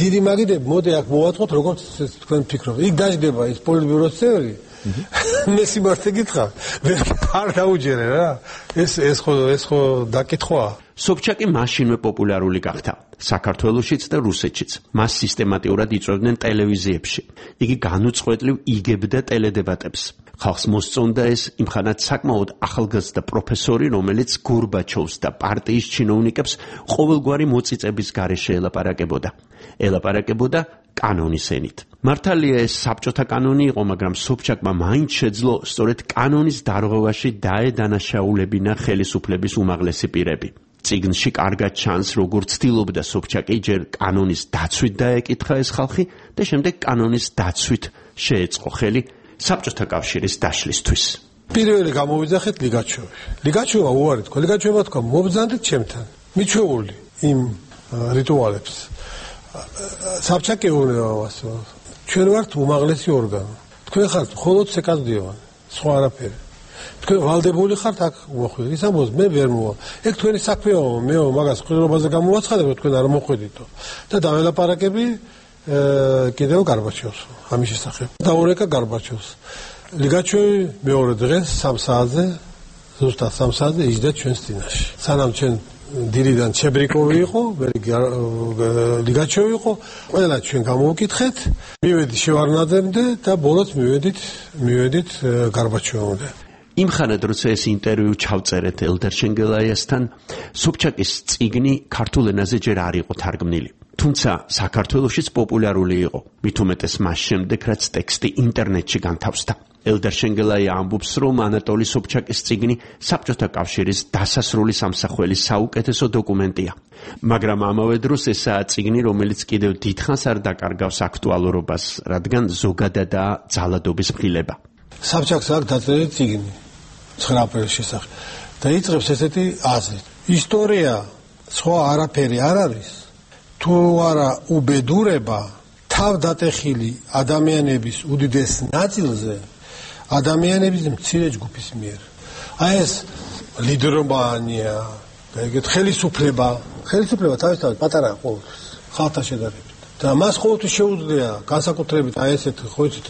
[SPEAKER 5] დიდი მაგიდები მოდი აქ მოვაწყოთ როგორც თქვენ ფიქრობთ. იქ დაждდება ის პოლიტბიუროს წევრი. მე სიმართლე გითხრა, არ დაუჯერე რა. ეს ხო დაკითხვაა.
[SPEAKER 15] სოფჩაკი მაშინვე პოპულარული გახდა საქართველოშიც და რუსეთშიც. მას სისტემატიურად იწვევდნენ ტელევიზიებში. იგი განუწყვეტლივ იგებდა ტელედებატებს. ხალხს მოსწონდა ეს იმხანად საკმაოდ ახალგაზრდა პროფესორი, რომელიც გორბაჩოვს და პარტიის ჩინოვნიკებს ყოველგვარი მოწიწების გარეშე ელაპარაკებოდა კანონის ენით. მართალია ეს საბჭოთა კანონი იყო, მაგრამ სოფჩაკმა მაინც შეძლო სწორედ კანონის დარღვევაში დაედანაშაულებინა ხელისუფლების უმაღლესი პირები. წიგნში კარგად ჩანს, როგორ ცდილობდა სოფჩაკი ჯერ კანონის დაცვით დაეკითხა ეს ხალხი და შემდეგ კანონის დაცვით შეეწყო ხელი საბჭოთა კავშირის დაშლისთვის.
[SPEAKER 5] პირველი გამოვიძახეთ ლიგაჩოვი. ლიგაჩოვა უარი თქვა, ლიგაჩოვა თქვა, მობრძანდით ჩემთან. მიჩვეული იმ რიტუალებს. საბჭაკი უნევასო. ჩვენ ვართ უმაღლესი ორგანო. თქვენ ხართ მხოლოდ სეკადდიოვანი, სხვა არაფერი. თქვენ ვალდებული ხართ აქ მოხვიდეთ. ის ამბობს მე ვერ მოვა. ეგ თქვენი საქმეა, მე მაგას ყრილობაზე გამოვაცხადებ, თქვენ არ მოხვედითო. და დაველაპარაკები კიდევ გარბაჩოვს ამის შესახებ. დაურეკა გარბაჩოვს. ლიგაჩოვი მეორე დღეს 3 საათზე, ზუსტად 3 საათზე იჯდა ჩვენს წინაშე. სანამ ჩვენ დილიდან ჩებრიკოვი იყო, ლიგაჩოვი იყო, ყველა ჩვენ გამოვკითხეთ, მივედი შევარნაძემდე და ბოლოს მივედით გარბაჩოვამდე.
[SPEAKER 15] იმხანად როცა ეს ინტერვიუ ჩავწერეთ ელდარ შენგელაიასთან, სოფჩაკის წიგნი ქართულ ენაზე ჯერ არ იყო თარგმნილი. თუმცა საქართველოშიც პოპულარული იყო, მით უმეტეს მას შემდეგ, რაც ტექსტი ინტერნეტში განთავსდა. ელდარ შენგელაია ამბობს, რომ ანატოლი სოფჩაკის წიგნი საბჭოთა კავშირის დასასრული სამსახველის საუკეთესო დოკუმენტია. მაგრამ ამავე დროს ესაა წიგნი, რომელიც კიდევ დიდხანს არ დაკარგავს აქტუალურობას, რადგან ზოგადადაა ძალადობის მღილება.
[SPEAKER 5] საბჭაკს აქვს დაწერილი წიგნი 9 აპრილის შესახებ და იწყებს ესეთი აზრით. ისტორია სხვა არაფერი არ არის, თუ არა უბედურება თავდატეხილი ადამიანების უდიდეს ნაწილზე ადამიანების მცირე ჯგუფის მიერ. აი ეს ლიდერობანია და ეგეთ ხელისუფლება თავისთავად პატარა ყოველთვის ხალხთან შედარებით. და მას ყოველთვის შეუძლია განსაკუთრებით აი ესეთ ხო იცით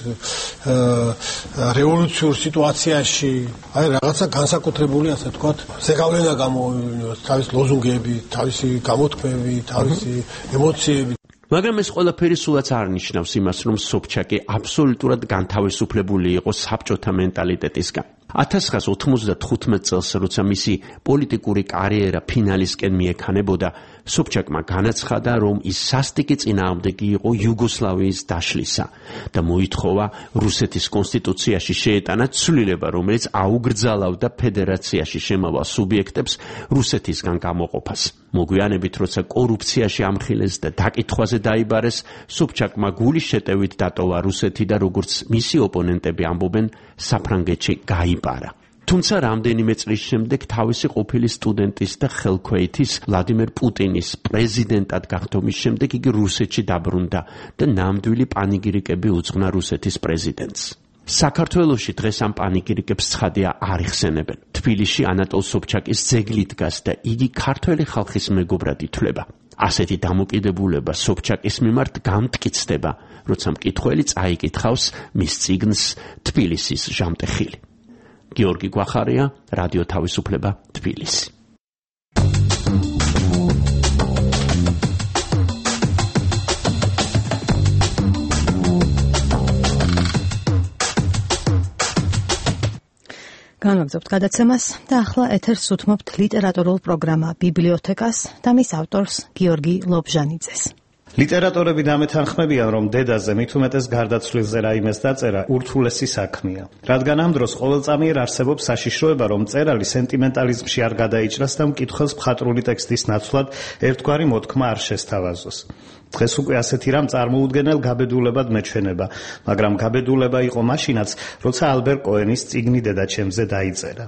[SPEAKER 5] რევოლუციურ სიტუაციაში აი რაღაცა განსაკუთრებული ასე ვთქვათ ზეგავლენა გამოვივლინოს, თავის ლოზუნგები, თავისი გამოთქმები, თავისი ემოციები.
[SPEAKER 15] მაგრამ ეს ყველაფერი სულაც არ ნიშნავს იმას, რომ სოფჩაკი აბსოლუტურად განთავისუფლებული იყო საბჭოთა მენტალიტეტისგან. 1995 წელს, როცა მისი პოლიტიკური კარიერა ფინალისკენ მიექანებოდა, სოფჩაკმა განაცხადა, რომ ის სასტიკი წინააღმდეგი იყო იუგოსლავიის დაშლისა და მოითხოვა რუსეთის კონსტიტუციაში შეეტანა ცვლილება, რომელიც აუგრძალავდა ფედერაციაში შემავალ სუბიექტებს რუსეთისგან გამოყოფას. მოგვიანებით, როცა კორუფციაში ამხილეს და დაკითხვაზე დაიბარეს, სოფჩაკმა გულის შეტევით დატოვა რუსეთი და როგორც მისი ოპონენტები ამბობენ, საფრანგეთში გაიპარა. თუმცა რამდენიმე წლის შემდეგ თავისი ყოფილი სტუდენტის და ხელქვეითის ვლადიმერ პუტინის პრეზიდენტად გახდომის შემდეგ იგი რუსეთში დაბრუნდა და ნამდვილი პანიგირიკები უძღვნა რუსეთის პრეზიდენტს. საქართველოში დღეს ამ პანიგირიკებს ცხადია არ იხსენებენ. თბილისში ანატოლ სოფჩაკის ძეგლი დგას და იგი ქართველი ხალხის მეგობრად ითვლება. ასეთი დამოკიდებულება სოფჩაკის მიმართ გამტკიცდება, როცა მკითხველი წაიკითხავს მის წიგნს თბილისის ჟამტეხილი. გიორგი გვახარია, რადიო თავისუფლება, თბილისი.
[SPEAKER 1] განვაგრძობთ გადაცემას და ახლა ეთერს უთმობთ ლიტერატურულ პროგრამა ბიბლიოთეკას და მის ავტორს გიორგი ლობჟანიძეს.
[SPEAKER 16] ლიტერატორები დამეთანხმებიან, რომ დედაზე მით უმეტეს გარდაცვლილზე რაიმეს დაწერა ურთულესი საქმეა. რადგან ამ დროს ყოველწამიერ არსებობს საშიშროება, რომ მწერალი სენტიმენტალიზმში არ გადაიჭრას და მკითხველს მხატვრული ტექსტის ნაცვლად ერთგვარი მოთქმა არ შესთავაზოს. დღეს უკვე ასეთი რამ წარმოუდგენელ გაბედულებად მეჩვენება, მაგრამ გაბედულება იყო მაშინაც, როცა ალბერ კოენის წიგნი დედაჩემზე დაიწერა.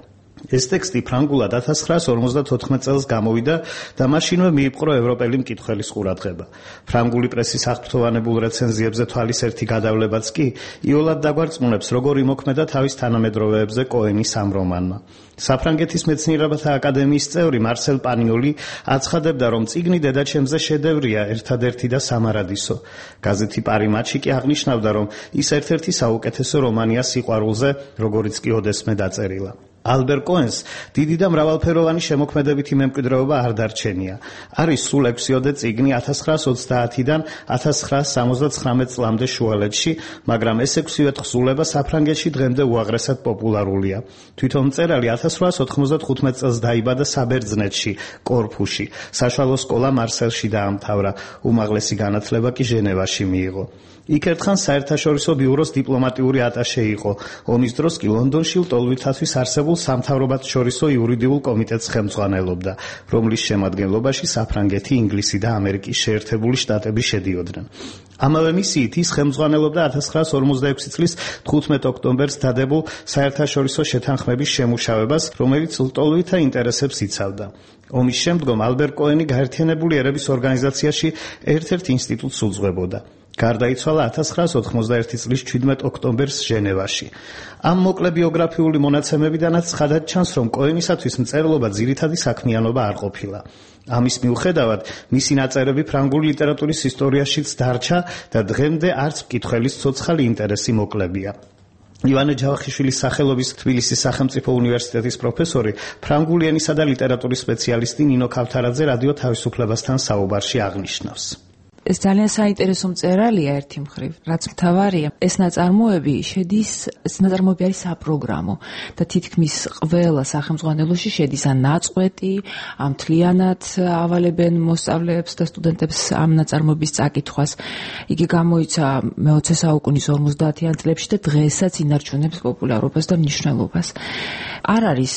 [SPEAKER 16] ეს ტექსტი ფრანგულად 1954 წელს გამოვიდა და მაშინვე მიიპყრო ევროპელი მკითხველის ყურადღება. ფრანგული პრესის აღფრთოვანებულ რეცენზიებზე თვალისერთი გადავლებაც კი იოლად დაგვარწმუნებს, როგორ იმოქმედა თავის თანამედროვეებზე კოენის ამ რომანმა. საფრანგეთის მეცნიერებათა აკადემიის წევრი მარსელ პანიოლი აცხადებდა, რომ წიგნი დედაჩემზე შედევრია, ერთადერთი და სამარადისო. გაზეთი პარიმატში კი აღნიშნავდა, რომ ის ერთ-ერთი საუკეთესო რომანია სიყვარულზე, როგორიც კი ოდესმე დაწერილა. ალბერ კოენს დიდი და მრავალფეროვანი შემოქმედებითი მემკვიდრეობა არ დარჩენია. არის სულ 6 წიგნი 1930-დან 1979 წლამდე შუალედში, მაგრამ ეს 6 თხზულება საფრანგეთში დღემდე უაღრესად პოპულარულია. თვითონ მწერალი 1895 წელს დაიბადა საბერძნეთში, კორფუში. საშუალო სკოლა მარსელში დაამთავრა, უმაღლესი განათლება კი ჟენევაში მიიღო. იქ ერთხან საერთაშორისო ბიუროს დიპლომატიური ატაშე იყო. ომის დროს კი ლონდონში ლტოლვითათვის არსებულ სამთავრობათშორისო იურიდიულ კომიტეტს ხელმძღვანელობდა, რომლის შემადგენლობაში საფრანგეთი, ინგლისი და ამერიკის შეერთებული შტატები შედიოდნენ. ამავე მისიით ის ხელმძღვანელობდა 1946 წლის 15 ოქტომბერს დადებულ საერთაშორისო შეთანხმების შემუშავებას, რომელიც ლტოლვითა ინტერესებს იცავდა. ომის შემდგომ ალბერ კოენი გაერთიანებული ერების ორგანიზაციაში ერთ-ერთ ინსტიტუტს უძღვებოდა. გარდაიცვალა 1991 წლის 17 ოქტომბერს ჟენევაში. ამ მოკლე ბიოგრაფიული მონაცემებიდანაც ცხადად ჩანს, რომ კოენისათვის მწერლობა ძირითადი საქმიანობა არ ყოფილა. ამის მიუხედავად, მისი ნაწერები ფრანგული ლიტერატურის ისტორიაშიც დარჩა და დღემდე არც მკითხველის ცოცხალი ინტერესი მოკლებია. ივანე ჯავახიშვილის სახელობის თბილისის სახელმწიფო უნივერსიტეტის პროფესორი, ფრანგული ენისა და ლიტერატურის სპეციალისტი ნინო ქავთარაძე რადიო თავისუფლებასთან საუბარში აღნიშნავს.
[SPEAKER 6] ეს ძალიან საინტერესო მწერალია ერთი მხრივ, რაც მთავარია, ეს ნაწარმოები არის საპროგრამო და თითქმის ყველა სახელმძღვანელოში შედის ან ნაწყვეტი, ამ მთლიანად ავალებენ მოსწავლეებს და სტუდენტებს ამ ნაწარმოების წაკითხვას. იგი გამოიცა მე-20 საუკუნის 50-იან წლებში და დღესაც ინარჩუნებს პოპულარობას და მნიშვნელობას. არ არის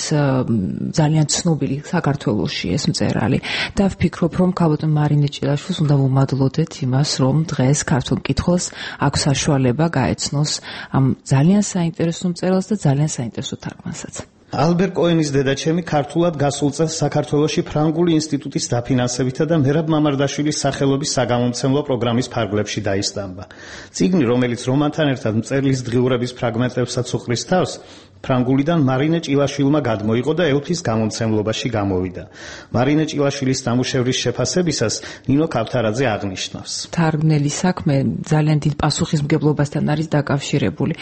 [SPEAKER 6] ძალიან ცნობილი საქართველოში ეს მწერალი და ვფიქრობ, რომ ქალბატონ მარინე ჭილაშვილს უნდა ვუმადლოთ იმას, რომ დღეს ქართულ მკითხველს აქვს საშუალება გაეცნოს ამ ძალიან საინტერესო მწერალს და ძალიან საინტერესო თარგმანსაც.
[SPEAKER 16] ალბერ კოენის დედაჩემი ქართულად გასულ წელს საქართველოში ფრანგული ინსტიტუტის დაფინანსებითა და მერაბ მამარდაშვილის სახელობის საგამომცემლო პროგრამის ფარგლებში დაისტამბა. წიგნი, რომელიც რომანთან ერთად მწერლის დღიურების ფრაგმენტებსაც უყრის თავს, ფრანგულიდან მარინე ჭილაშვილმა გადმოიღო და ელფის გამომცემლობაში გამოვიდა. მარინე ჭილაშვილის ნამუშევრის შეფასებისას ნინო ქავთარაძე აღნიშნავს.
[SPEAKER 6] თარგმნელი საქმე ძალიან დიდ პასუხისმგებლობასთან არის დაკავშირებული.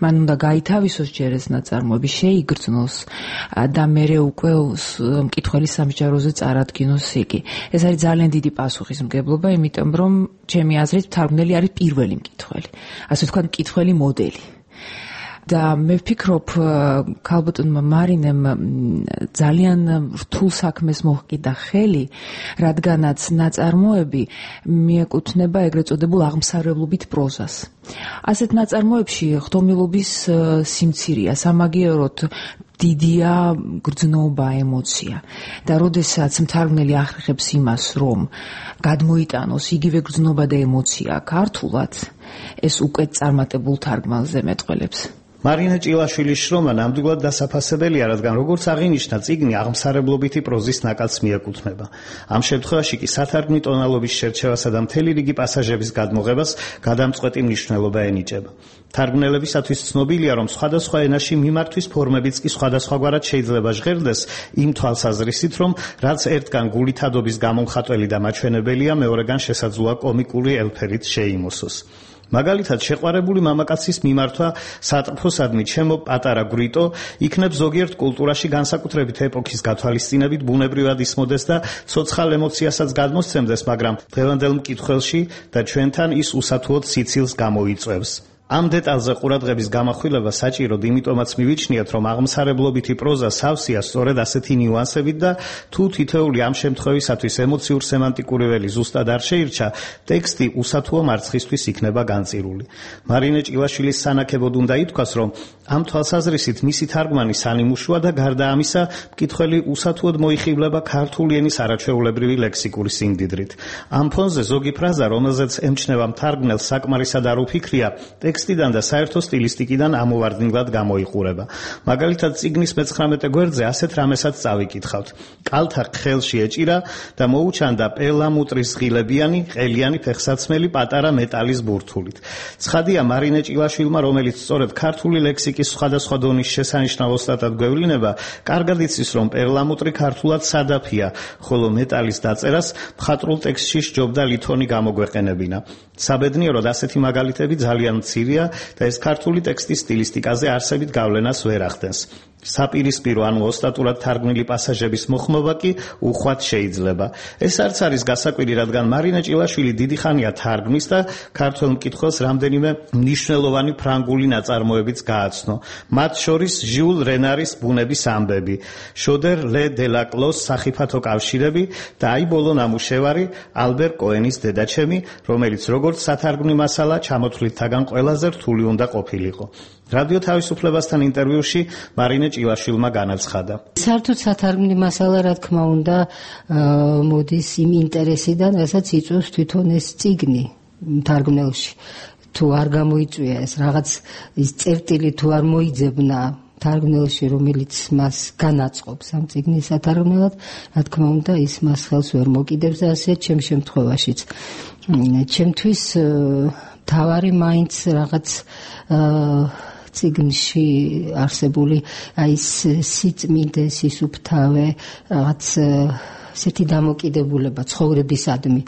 [SPEAKER 6] მან უნდა გაითავისოს ჯერ ეს ნაწარმოები, შეიგრძნოს და მერე უკვე მკითხველის სამსჯავროზე წარადგინოს იგი. ეს არის ძალიან დიდი პასუხისმგებლობა, იმიტომ რომ ჩემი აზრით თარგმნელი არის პირველი მკითხველი. ასე ვთქვათ, მკითხველი მოდელი. და მე ვფიქრობ, ქალბატონმა მარინემ ძალიან რთულ საქმეს მოჰკიდა ხელი, რადგანაც ნაწარმოები მიეკუთვნება ეგრეთ წოდებულ აღმსარებლობით პროზას. ასეთ ნაწარმოებში ხდომილობის სიმცირეა, სამაგიეროდ დიდია გრძნობა, ემოცია. და როდესაც მთარგმნელი ახერხებს იმას, რომ გადმოიტანოს იგივე გრძნობა და ემოცია ქართულად, ეს უკვე წარმატებულ თარგმანზე მეტყველებს.
[SPEAKER 16] მარინე ჭილაშვილის შრომა ნამდვილად დასაფასებელია, რადგან როგორც აღინიშნა, წიგნი აღმსარებლობითი პროზის ნაკადს მიეკუთვნება. ამ შემთხვევაში კი სათარგმნი ტონალობის შერჩევასა და მთელი რიგი პასაჟების გადმოღებას გადამწყვეტი მნიშვნელობა ენიჭება. თარგმნელებისათვის ცნობილია, რომ სხვადასხვა ენაში მიმართვის ფორმებიც კი სხვადასხვაგვარად შეიძლება ჟღერდეს იმ თვალსაზრისით, რომ რაც ერთგან გულითადობის გამომხატველი და მაჩვენებელია, მეორეგან შესაძლოა კომიკური ელფერით შეიმოსოს. მაგალითად, შეყვარებული მამაკაცის მიმართვა სატრფოსადმი ჩემო პატარა გრიტო იქნებ ზოგიერთ კულტურაში განსაკუთრებით ეპოქის გათვალისწინებით ბუნებრივად ისმოდეს და ცოცხალ ემოციასაც გადმოსცემდეს, მაგრამ დღევანდელ მკითხველში და ჩვენთან ის უსათუოდ სიცილს გამოიწვევს. ამ დეტალზე ყურადღების გამახვილება საჭიროდ იმიტომაც მივიჩნიათ, რომ აღმსარებლობითი პროზა სავსეა სწორედ ასეთი ნიუანსებით და თუ თითოეული ამ შემთხვევისათვის ემოციურ სემანტიკური ველი ზუსტად არ შეირჩა, ტექსტი უსათუო მარცხისთვის იქნება განწირული. მარინე ჭილაშვილის სანაკებოდ უნდა ითქვას, რომ ამ თვალსაზრისით მისი თარგმანი სანიმუშოა და გარდა ამისა, მკითხველი უსათუოდ მოიხიბლება ქართული ენის არაჩვეულებრივი ლექსიკური სიმდიდრით. ამ ფონზე ზოგი ფრაზა, რომელზეც ემჩნევა მთარგმნელს საკმარისად არ უფიქრია, ტექსტიდან და საერთო სტილისტიკიდან ამოვარდნილად გამოიყურება. მაგალითად, წიგნის მე-19 გვერდზე ასეთ რამესაც წავიკითხავთ. კალთა ხელში ეჭირა და მოუჩანდა პერლამუტრის ღილებიანი, ყელიანი ფეხსაცმელი პატარა მეტალის ბურთულით. ცხადია, მარინე ჭილაშვილმა, რომელიც სწორედ ქართული ლექსიკის სხვადასხვა დონის შესანიშნავ ოსტატად გვევლინება, კარგად იცის, რომ პერლამუტრი ქართულად სადაფია, ხოლო მეტალის დაწერას მხატვრულ ტექსტში სჯობდა ლითონი გამოგვეყენებინა. საბედნიეროდ ასეთი მაგალითები ძალიან მცირეა და ეს ქართული ტექსტის სტილისტიკაზე არსებით გავლენას ვერ ახდენს. საპირისპირო ანუ ოსტატურად თარგმნილი პასაჟების მოხმობა კი უხვად შეიძლება. ეს არც არის გასაკვირი, რადგან მარინე ჭილაშვილი დიდი ხანია თარგმნის და ქართველ მკითხველს რამდენიმე მნიშვნელოვანი ფრანგული ნაწარმოებიც გააცნო. მათ შორის ჟიულ რენარის ბუნების ამბები, შოდერ ლე დელაკლოს სახიფათო კავშირები და აი ბოლო ნამუშევარი ალბერ კოენის დედაჩემი, რომელიც როგორც სათარგმნი მასალა ჩამოთვლითაგან ყველაზე რთული უნდა ყოფილიყო. რადიო თავისუფლებასთან ინტერვიუში მარინე ჭილაშვილმა განაცხადა.
[SPEAKER 17] საერთოდ სათარგმნი მასალა, რა თქმა უნდა, მოდის იმ ინტერესიდან, რასაც იწვევს თვითონ ეს წიგნი თარგმნელში. თუ არ გამოიწვია ეს რაღაც ის წერტილი, თუ არ მოიძებნა თარგმნელში, რომელიც მას განაწყობს ამ წიგნის სათარგმნელად, რა თქმა უნდა, ის მას ხელს ვერ მოკიდებს და ასე ჩემ შემთხვევაშიც. ჩემთვის თავარი მაინც რაღაც წიგნში არსებული აი სიწმინდე, სისუფთავე, რაღაც ესეთი დამოკიდებულება ცხოვრებისადმი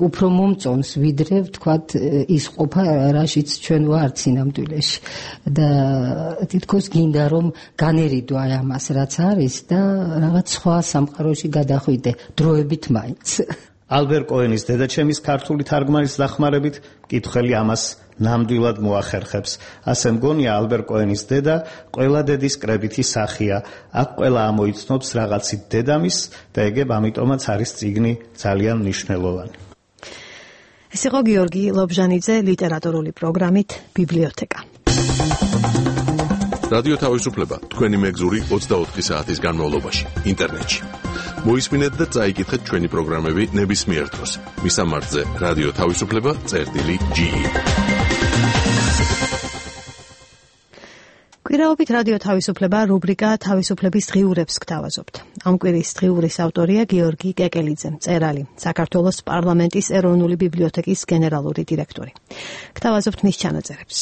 [SPEAKER 17] უფრო მომწონს, ვიდრე ვთქვათ ის ყოფა, რაშიც ჩვენ ვართ სინამდვილეში. და თითქოს გინდა რომ განერიდო აი ამას, რაც არის და რაღაც სხვა სამყაროში გადახვიდე დროებით მაინც.
[SPEAKER 16] ალბერ კოენის დედაჩემის ქართული თარგმანის დახმარებით მკითხველი ამას ნამდვილად მოახერხებს. ასე მგონია, ალბერ კოენის დედა ყველა დედის კრებითი სახია. აქ ყველა ამოიცნობს რაღაცით დედამის და ეგებ ამიტომაც არის წიგნი ძალიან მნიშვნელოვანი.
[SPEAKER 1] ეს იყო გიორგი ლობჟანიძე ლიტერატურული პროგრამით ბიბლიოთეკა.
[SPEAKER 3] რადიო თავისუფლება თქვენი მეგზური 24 საათის განმავლობაში ინტერნეტში. მოისმინეთ და წაიკითხეთ ჩვენი პროგრამები ნებისმიერ დროს. მისამართზე რადიო თავისუფლება.ge.
[SPEAKER 1] კვირაობით რადიო თავისუფლება რუბრიკა თავისუფლების დღიურებს გთავაზობთ. ამ კვირის დღიურის ავტორია გიორგი კეკელიძე, მწერალი, საქართველოს პარლამენტის ეროვნული ბიბლიოთეკის გენერალური დირექტორი. გთავაზობთ მის ჩანაწერებს.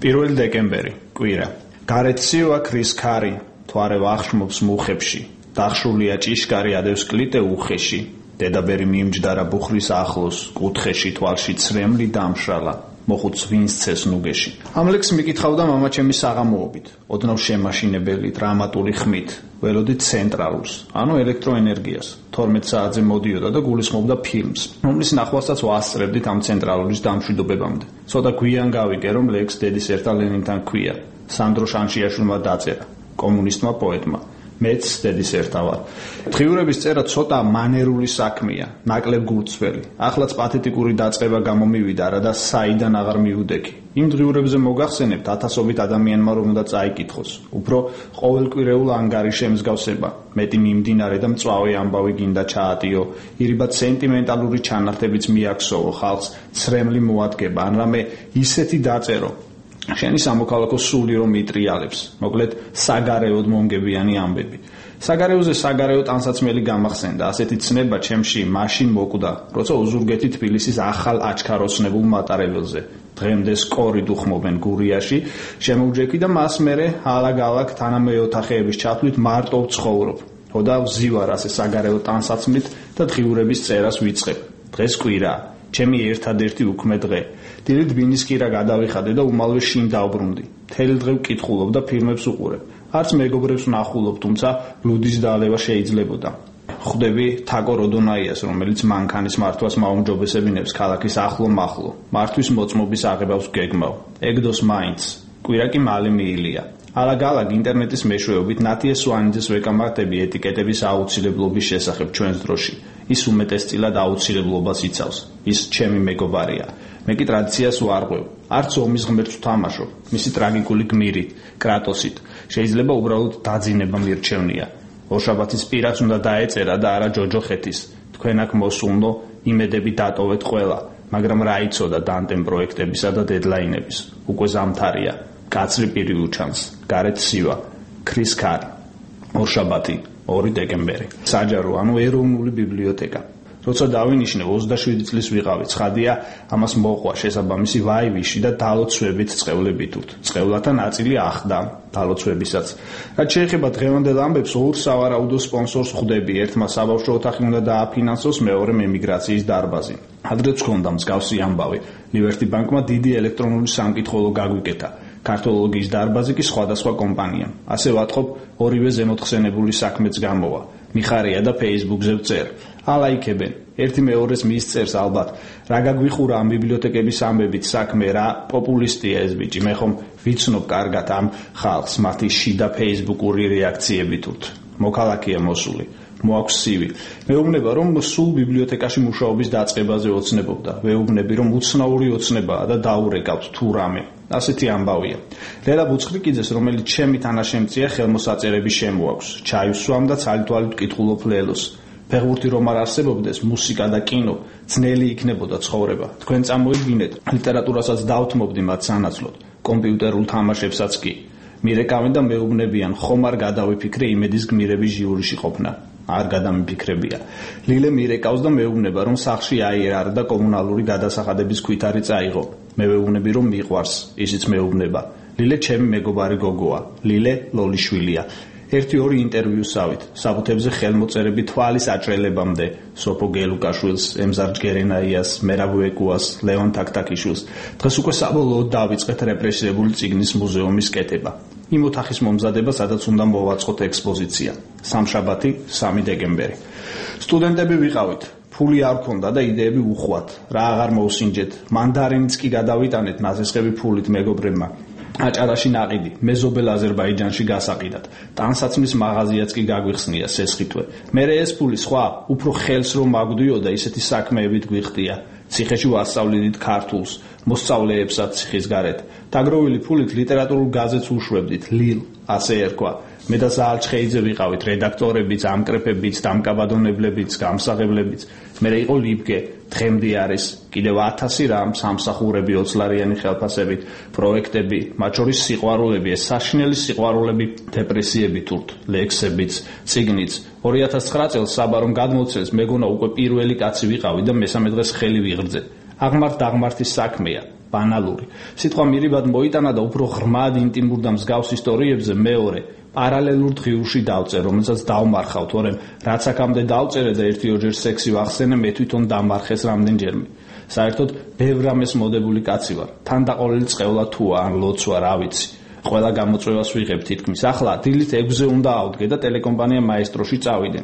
[SPEAKER 7] 1 დეკემბერი, კვირა. გარეთ სივა ქრის ქარი, თვარე ვახშმობს მუხებში. დახშულია ჭიშკარი ადევს კლიტე უხეში. დედაბერი მიიმჯდარა ბუხრის ახლოს, კუთხეში თვალში ცრემლი დამშრალა. მოხუც ვინს ცეს ნუგეში. ამ ლექს მიკითხავდა მამა ჩემი საღამოობით, ოდნავ შემაშინებელი დრამატული ხმით, ველოდით ცენტრალურს, ანუ ელექტროენერგიას. 12 საათზე მოდიოდა და გულისხმობდა ფილმს, რომლის ნახვალსაც ვასწრებდით ამ ცენტრალურის დამშვიდობებამდე. ცოტა გვიან გავიგე, რომ ლექს დედის ერთა ლენინთან ქვია. სანდრო შანშიაშვილმა დაწერა, კომუნისტმა პოეტმა. მეც დედის ერთა ვარ. დღიურების წერა ცოტა მანერული საქმეა, ნაკლებ გულწრფელი. ახლაც პათეტიკური დაწყება გამომივიდა, რა და საიდან აღარ მიუდექი. იმ დღიურებზე მოგახსენებთ ათასობით ადამიანმა რომ უნდა წაიკითხოს. უფრო ყოველკვირეულ ანგარიშ ემსგავსება. მეტი მიმდინარე და მწვავე ამბავი გინდა ჩაატიო, ირიბად სენტიმენტალური ჩანართებიც მიაქსოვო ხალხს, ცრემლი მოადგება, ან რამე ისეთი დაწერო. შენი სამოქალაქო სული რომ იტრიალებს, მოკლედ საგარეოდ მომგებიანი ამბები. საგარეოზე საგარეო ტანსაცმელი გამახსენდა, ასეთი ცნება ჩემში მაშინ მოკვდა, როცა უზურგეთი თბილისის ახალ აჩქაროცნებულ მატარებელზე. დღემდე სკორით უხმობენ გურიაში, შემოვჯექი და მას მერე ალაგ-ალაგ თანამეოთახეების ჩათვლით მარტო ვცხოვრობ. ხოდა ვზივარ ასე საგარეო ტანსაცმლით და დღიურების წერას ვიწყებ. დღეს კვირა, ჩემი ერთადერთი უქმე დღე. დილით ბინისკირა გადავიხადე და უმალვე შინ დავბრუნდი. მთელი დღე ვკითხულობ და ფილმებს უყურებ. არც მეგობრებს ვნახულობ, თუმცა ბლუდის დაალევა შეიძლებოდა. ხვდები თაკო როდონაიას, რომელიც მანქანის მართვას მაუმჯობესებინებს ქალაქის ახლო-მახლო. მართვის მოწმობის აღებავს გეგმავ. ეგდოს მაინც. კვირა კი მალე მიილია. ალაგ-ალაგ ინტერნეტის მეშვეობით ნათია სვანიძეს ვეკამათები ეტიკეტების აუცილებლობის შესახებ ჩვენს დროში. ის უმეტესწილად აუცილებლობას იცავს. ის ჩემი მეგობარია. მე კი ტრადიციას ვარღვევ. არც ომის ღმერთს ვთამაშობ. მისი ტრაგიკული გმირით, კრატოსით. შეიძლება უბრალოდ დაძინება მირჩევნია. ორშაბათის პირას უნდა დაეწერა და არა ჯოჯოხეთის. თქვენ აქ მოსულნო, იმედები დატოვეთ ყველა, მაგრამ რა იცოდა დანტემ პროექტებისა და დედლაინების. უკვე ზამთარია. კაცრი პირი უჩანს. გარეთ სივა. ქრის ქარი. ორშაბათი, 2 დეკემბერი. საჯარო, ანუ ეროვნული ბიბლიოთეკა. როცა დავინიშნე 27 წლის ვიყავი, ცხადია, ამას მოყვა შესაბამისი ვაივიში და დალოცვებით წყევლებითურთ. წყევლათა ნაწილი ახდა დალოცვებისაც. რაც შეეხება დღევანდელ ამბებს, ორ სავარაუდო სპონსორს ხვდები. ერთმა საბავშვო ოთახი უნდა დააფინანსოს, მეორემ ემიგრაციის დარბაზი. ადრეც ჰქონდა მსგავსი ამბავი. ლივერტი ბანკმა დიდი ელექტრონული სამკითხველო გაგვიკეთა. ქართოლოგიის დარბაზი კი სხვადასხვა კომპანიამ. ასე ვატყობ, ორივე ზემოთხსენებული საქმეც გამოვა. მიხარია და Facebook-ზე ვწერ. ალაიქებენ. ერთი მეორეს მისწერს ალბათ. რა გაგვიხურა ამ ბიბლიოთეკების ამბებით საქმე, რა პოპულისტია ეს ბიჭი. მე ხომ ვიცნობ კარგად ამ ხალხს, მათი შიდა Facebook-ური რეაქციებით ურთ. მოქალაქეა მოსული. მოაქვს სივი. მეუბნება, რომ სულ ბიბლიოთეკაში მუშაობის დაწყებაზე ოცნებობდა. მეუბნები, რომ უცნაური ოცნებაა და დაურეკავთ თუ რამე. ასეთი ამბავია. ლელა ბუცხრიკიძეს, რომელიც ჩემი თანაშემწეა, ხელმოსაწერები შემოაქვს. ჩაივსვამ და ცალ-თვალით ვკითხულობ ლელოს. ფეხბურთი რომ არ არსებობდეს, მუსიკა და კინო, ძნელი იქნებოდა ცხოვრება. თქვენ წამოიდგინეთ, ლიტერატურასაც დავთმობდი მათ სანაცვლოდ, კომპიუტერულ თამაშებსაც კი. მირეკავენ და მეუბნებიან, ხომ არ გადავიფიქრე იმედის გმირების ჟიურიში ყოფნა. არ გადამიფიქრებია. ლილე მირეკავს და მეუბნება, რომ სახლში აიერარ და კომუნალური გადასახადების ქვითარი წაიღო. მე ვეუბნები, რომ მიყვარს, ისიც მეუბნება. ლილე ჩემი მეგობარი გოგოა. ლილე ლოლიშვილია. 1-2 ინტერვიუსავით, საბუთებზე ხელმოწერები თვალის აჭრელებამდე, სოფო გელუკაშვილს, ემზარ ჯგერენაიას, მერაბ ვეკუას, ლეონ თაქთაქიშვილს. დღეს უკვე საბოლოოდ დავიწყეთ რეპრესირებული წიგნის მუზეუმის კეთება. იმ ოთახის მომზადება, სადაც უნდა მოვაწყოთ ექსპოზიცია. სამშაბათი, 3 დეკემბერი. სტუდენტები ვიყავით. ფული არ ქონდა და იდეები უხვად. რა აღარ მოვსინჯეთ. მანდარინიც კი გადავიტანეთ ნაზისხები ფულით მეგობრებმა. აჭარაში ნაყიდი, მეზობელ აზერბაიჯანში გასაყიდად. ტანსაცმლის მაღაზიაც კი გაგვიხსნია სესხითვე. მერე ეს ფული სხვა, უფრო ხელს რომ მაგვდიოდა, ისეთი საქმეებით გვიხდია. ციხეში ვასწავლიდით ქართულს, მოსწავლეებსაც ციხის გარეთ. დაგროვილი ფულით ლიტერატურულ გაზეთს უშვებდით, ლილ, ასე ერქვა. მე და ზაალჩხეიძე ვიყავით რედაქტორებიც, ამკრეფებიც, დამკაბადონებლებიც, გამსაღებლებიც. მერე იყო ლიბგე, დღემდე არის, კიდევ 1000 რამ, სამსახურები, 20 ლარიანი ხელფასებით, პროექტები, მათ შორის სიყვარულები, ეს საშინელი სიყვარულები, დეპრესიები თურთ, ლექსებიც, წიგნიც. 2009 წელს საბარომ გადმოცეს, მეგონა უკვე პირველი კაცი ვიყავი და მესამე დღეს ხელი ვიღრძე. აღმართ-დაღმართის საქმეა, ბანალური. სიტყვა მირიბად მოიტანა და უფრო ღრმად ინტიმურ და მსგავს ისტორიებზე მეორე პარალელურ დღიურში დავწერ, რომელსაც დავმარხავ, თორემ რაც აქამდე დავწერე და 1-2 სექსი ვახსენე, მე თვითონ დამარხეს რამდენჯერმე. საერთოდ ბევრ რამეს მოდებული კაცი ვარ. თანდაყოლილი წყევლა თუა ან ლოცვა, რა ვიცი. ყველა გამოწვევას ვიღებ თითქმის. ახლა დილით 6-ზე უნდა ავდგე და ტელეკომპანია მაესტროში წავიდე.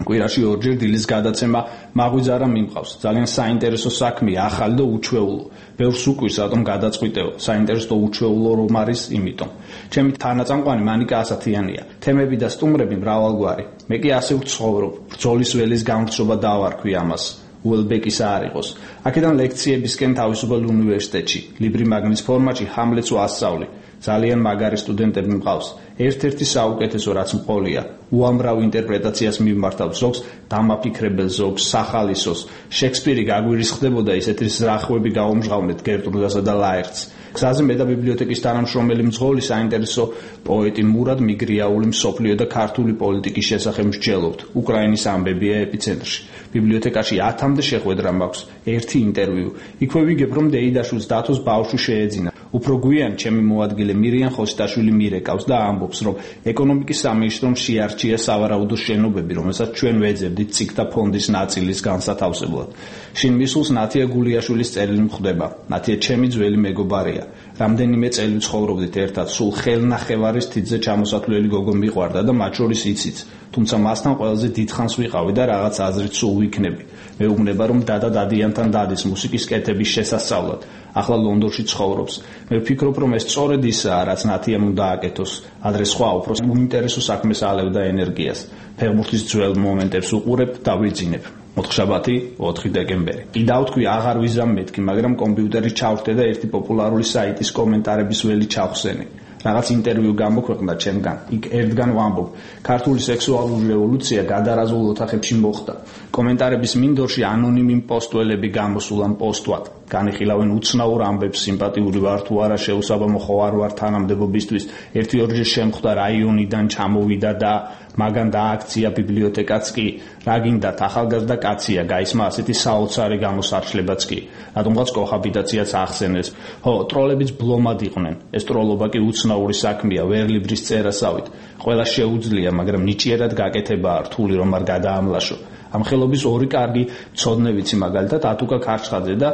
[SPEAKER 7] კვირაში 2 დილის გადაცემა მაგვიძარა მიმყავს. ძალიან საინტერესო საქმეა, ახალი და უჩვეულო. ბევრს უკვირს რატომ გადაწყვიტეო. საინტერესო და უჩვეულო რომ არის, იმიტომ. ჩემი თანაწამყვანი მანიკა ასათიანია. თემები და სტუმრები მრავალგვარი. მე კი ასე ვცხოვრობ. ბრძოლის ველის გამრჩობა დავარქვი ამას. უელბეკის არ იყოს. აქედან ლექციებისკენ თავისუფალ უნივერსიტეტში, ლიბრი მაგნის ფორმატში ჰამლეტს ვასწავლი. ძალიან მაგარი სტუდენტები მყავს. ერთ-ერთი საუკეთესო რაც მყოლია, უამრავ ინტერპრეტაციას მიმართავ, ზოგს დამაფიქრებელ, ზოგს სახალისოს. შექსპირი გაგვირისხდებოდა ისეთი ზრახვები გაუმჟღავნეთ გერტრუდასა და ლაერტს. გზაზე მე და ბიბლიოთეკის თანამშრომელი მძღოლი საინტერესო პოეტი მურად მიგრიაული მსოფლიო და ქართული პოლიტიკის შესახებ მსჯელობთ. უკრაინის ამბებია ეპიცენტრში. ბიბლიოთეკაში 1000-მდე შეხვედრა მაქვს, ერთი ინტერვიუ. იქვე ვიგებ, რომ დეიდაშვილს დათოს ბავშვი შეეძინა. უფრო გვიან ჩემი მოადგილე მირიან ხოსტაშვილი მირეკავს და ამბობს, რომ ეკონომიკის სამინისტრომ შეარჩია სავარაუდო შენობები, რომელსაც ჩვენ ვეძებდით ციგთა ფონდის ნაწილის განსათავსებლად. შინ მისულს ნათია გულიაშვილის წერილი მხდება. ნათია ჩემი ძველი მეგობარია. რამდენიმე წელი ცხოვრობდით ერთად, სულ ხელნახევარის თითზე ჩამოსათვლელი გოგო მიყვარდა და მათ შორის იციც. თუმცა მასთან ყველაზე დიდხანს ვიყავი და რაღაც აზრით სულ ვიქნები. მეუბნება, რომ დადიანთან დადის მუსიკის კეთების შესასწავლად. ახლა ლონდონში ცხოვრობს. მე ვფიქრობ, რომ ეს სწორედ ისაა, რაც ნათიამ უნდა აკეთოს. ადრე სხვა უფრო უინტერესო საქმეს ალევდა ენერგიას. ფეხბურთის ძველ მომენტებს უყურებ და ვიძინებ. მოთხშაბათი 4 დეკემბერი. კიდევ თქვი აღარ ვიზამ მეთქი, მაგრამ კომპიუტერი ჩავრთე და ერთი პოპულარული საიტის კომენტარების ველი ჩავხსენი. რაღაც ინტერვიუ გამოქვეყნდა ჩემგან. იქ ერთგან ვამბობ, ქართული სექსუალური რევოლუცია გადარაზულ ოთახებში მოხდა. კომენტარების მინდორში ანონიმი პოსტველები გამოსულან პოსტვად. განიხილავენ უცნაურ ამბებს, სიმპათიური ვარ თუ არა, შეუსაბამო ხო არ ვარ თანამდებობისთვის. ერთი-ორჯერ შემხვდა რაიონიდან ჩამოვიდა და მაგან დააქცია ბიბლიოთეკაც კი. რა გინდათ, ახალგაზრდა კაცია, გაისმა ასეთი საოცარი გამოსარჩლებაც კი. რატომღაც კოჰაბიტაციაც ახსენეს. ხო, ტროლებიც ბლომად იყვნენ. ეს ტროლობა კი უცნაური საქმეა, ვერლიბრის წერასავით. ყველა შეუძლია, მაგრამ ნიჭიერად გაკეთებაა რთული, რომ არ გადაამლაშო. ამ ხელობის ორი კარგი ცოდნე ვიცი, მაგალითად ატუკა ქარჩხაძე და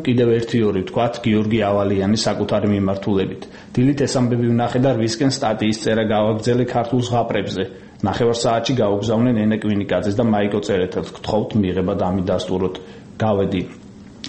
[SPEAKER 7] კიდევ ერთი-ორი ვთქვათ გიორგი ავალიანის საკუთარი მიმართულებით. დილით ეს ამბები ვნახე და რვისკენ სტატიის წერა გავაგრძელე ქართულ ზღაპრებზე. ნახევარ საათში გაუგზავნენ ენე კვინიკაძეს და მაიკო წერეთელს. გთხოვთ მიღება დამიდასტუროთ. გავედი.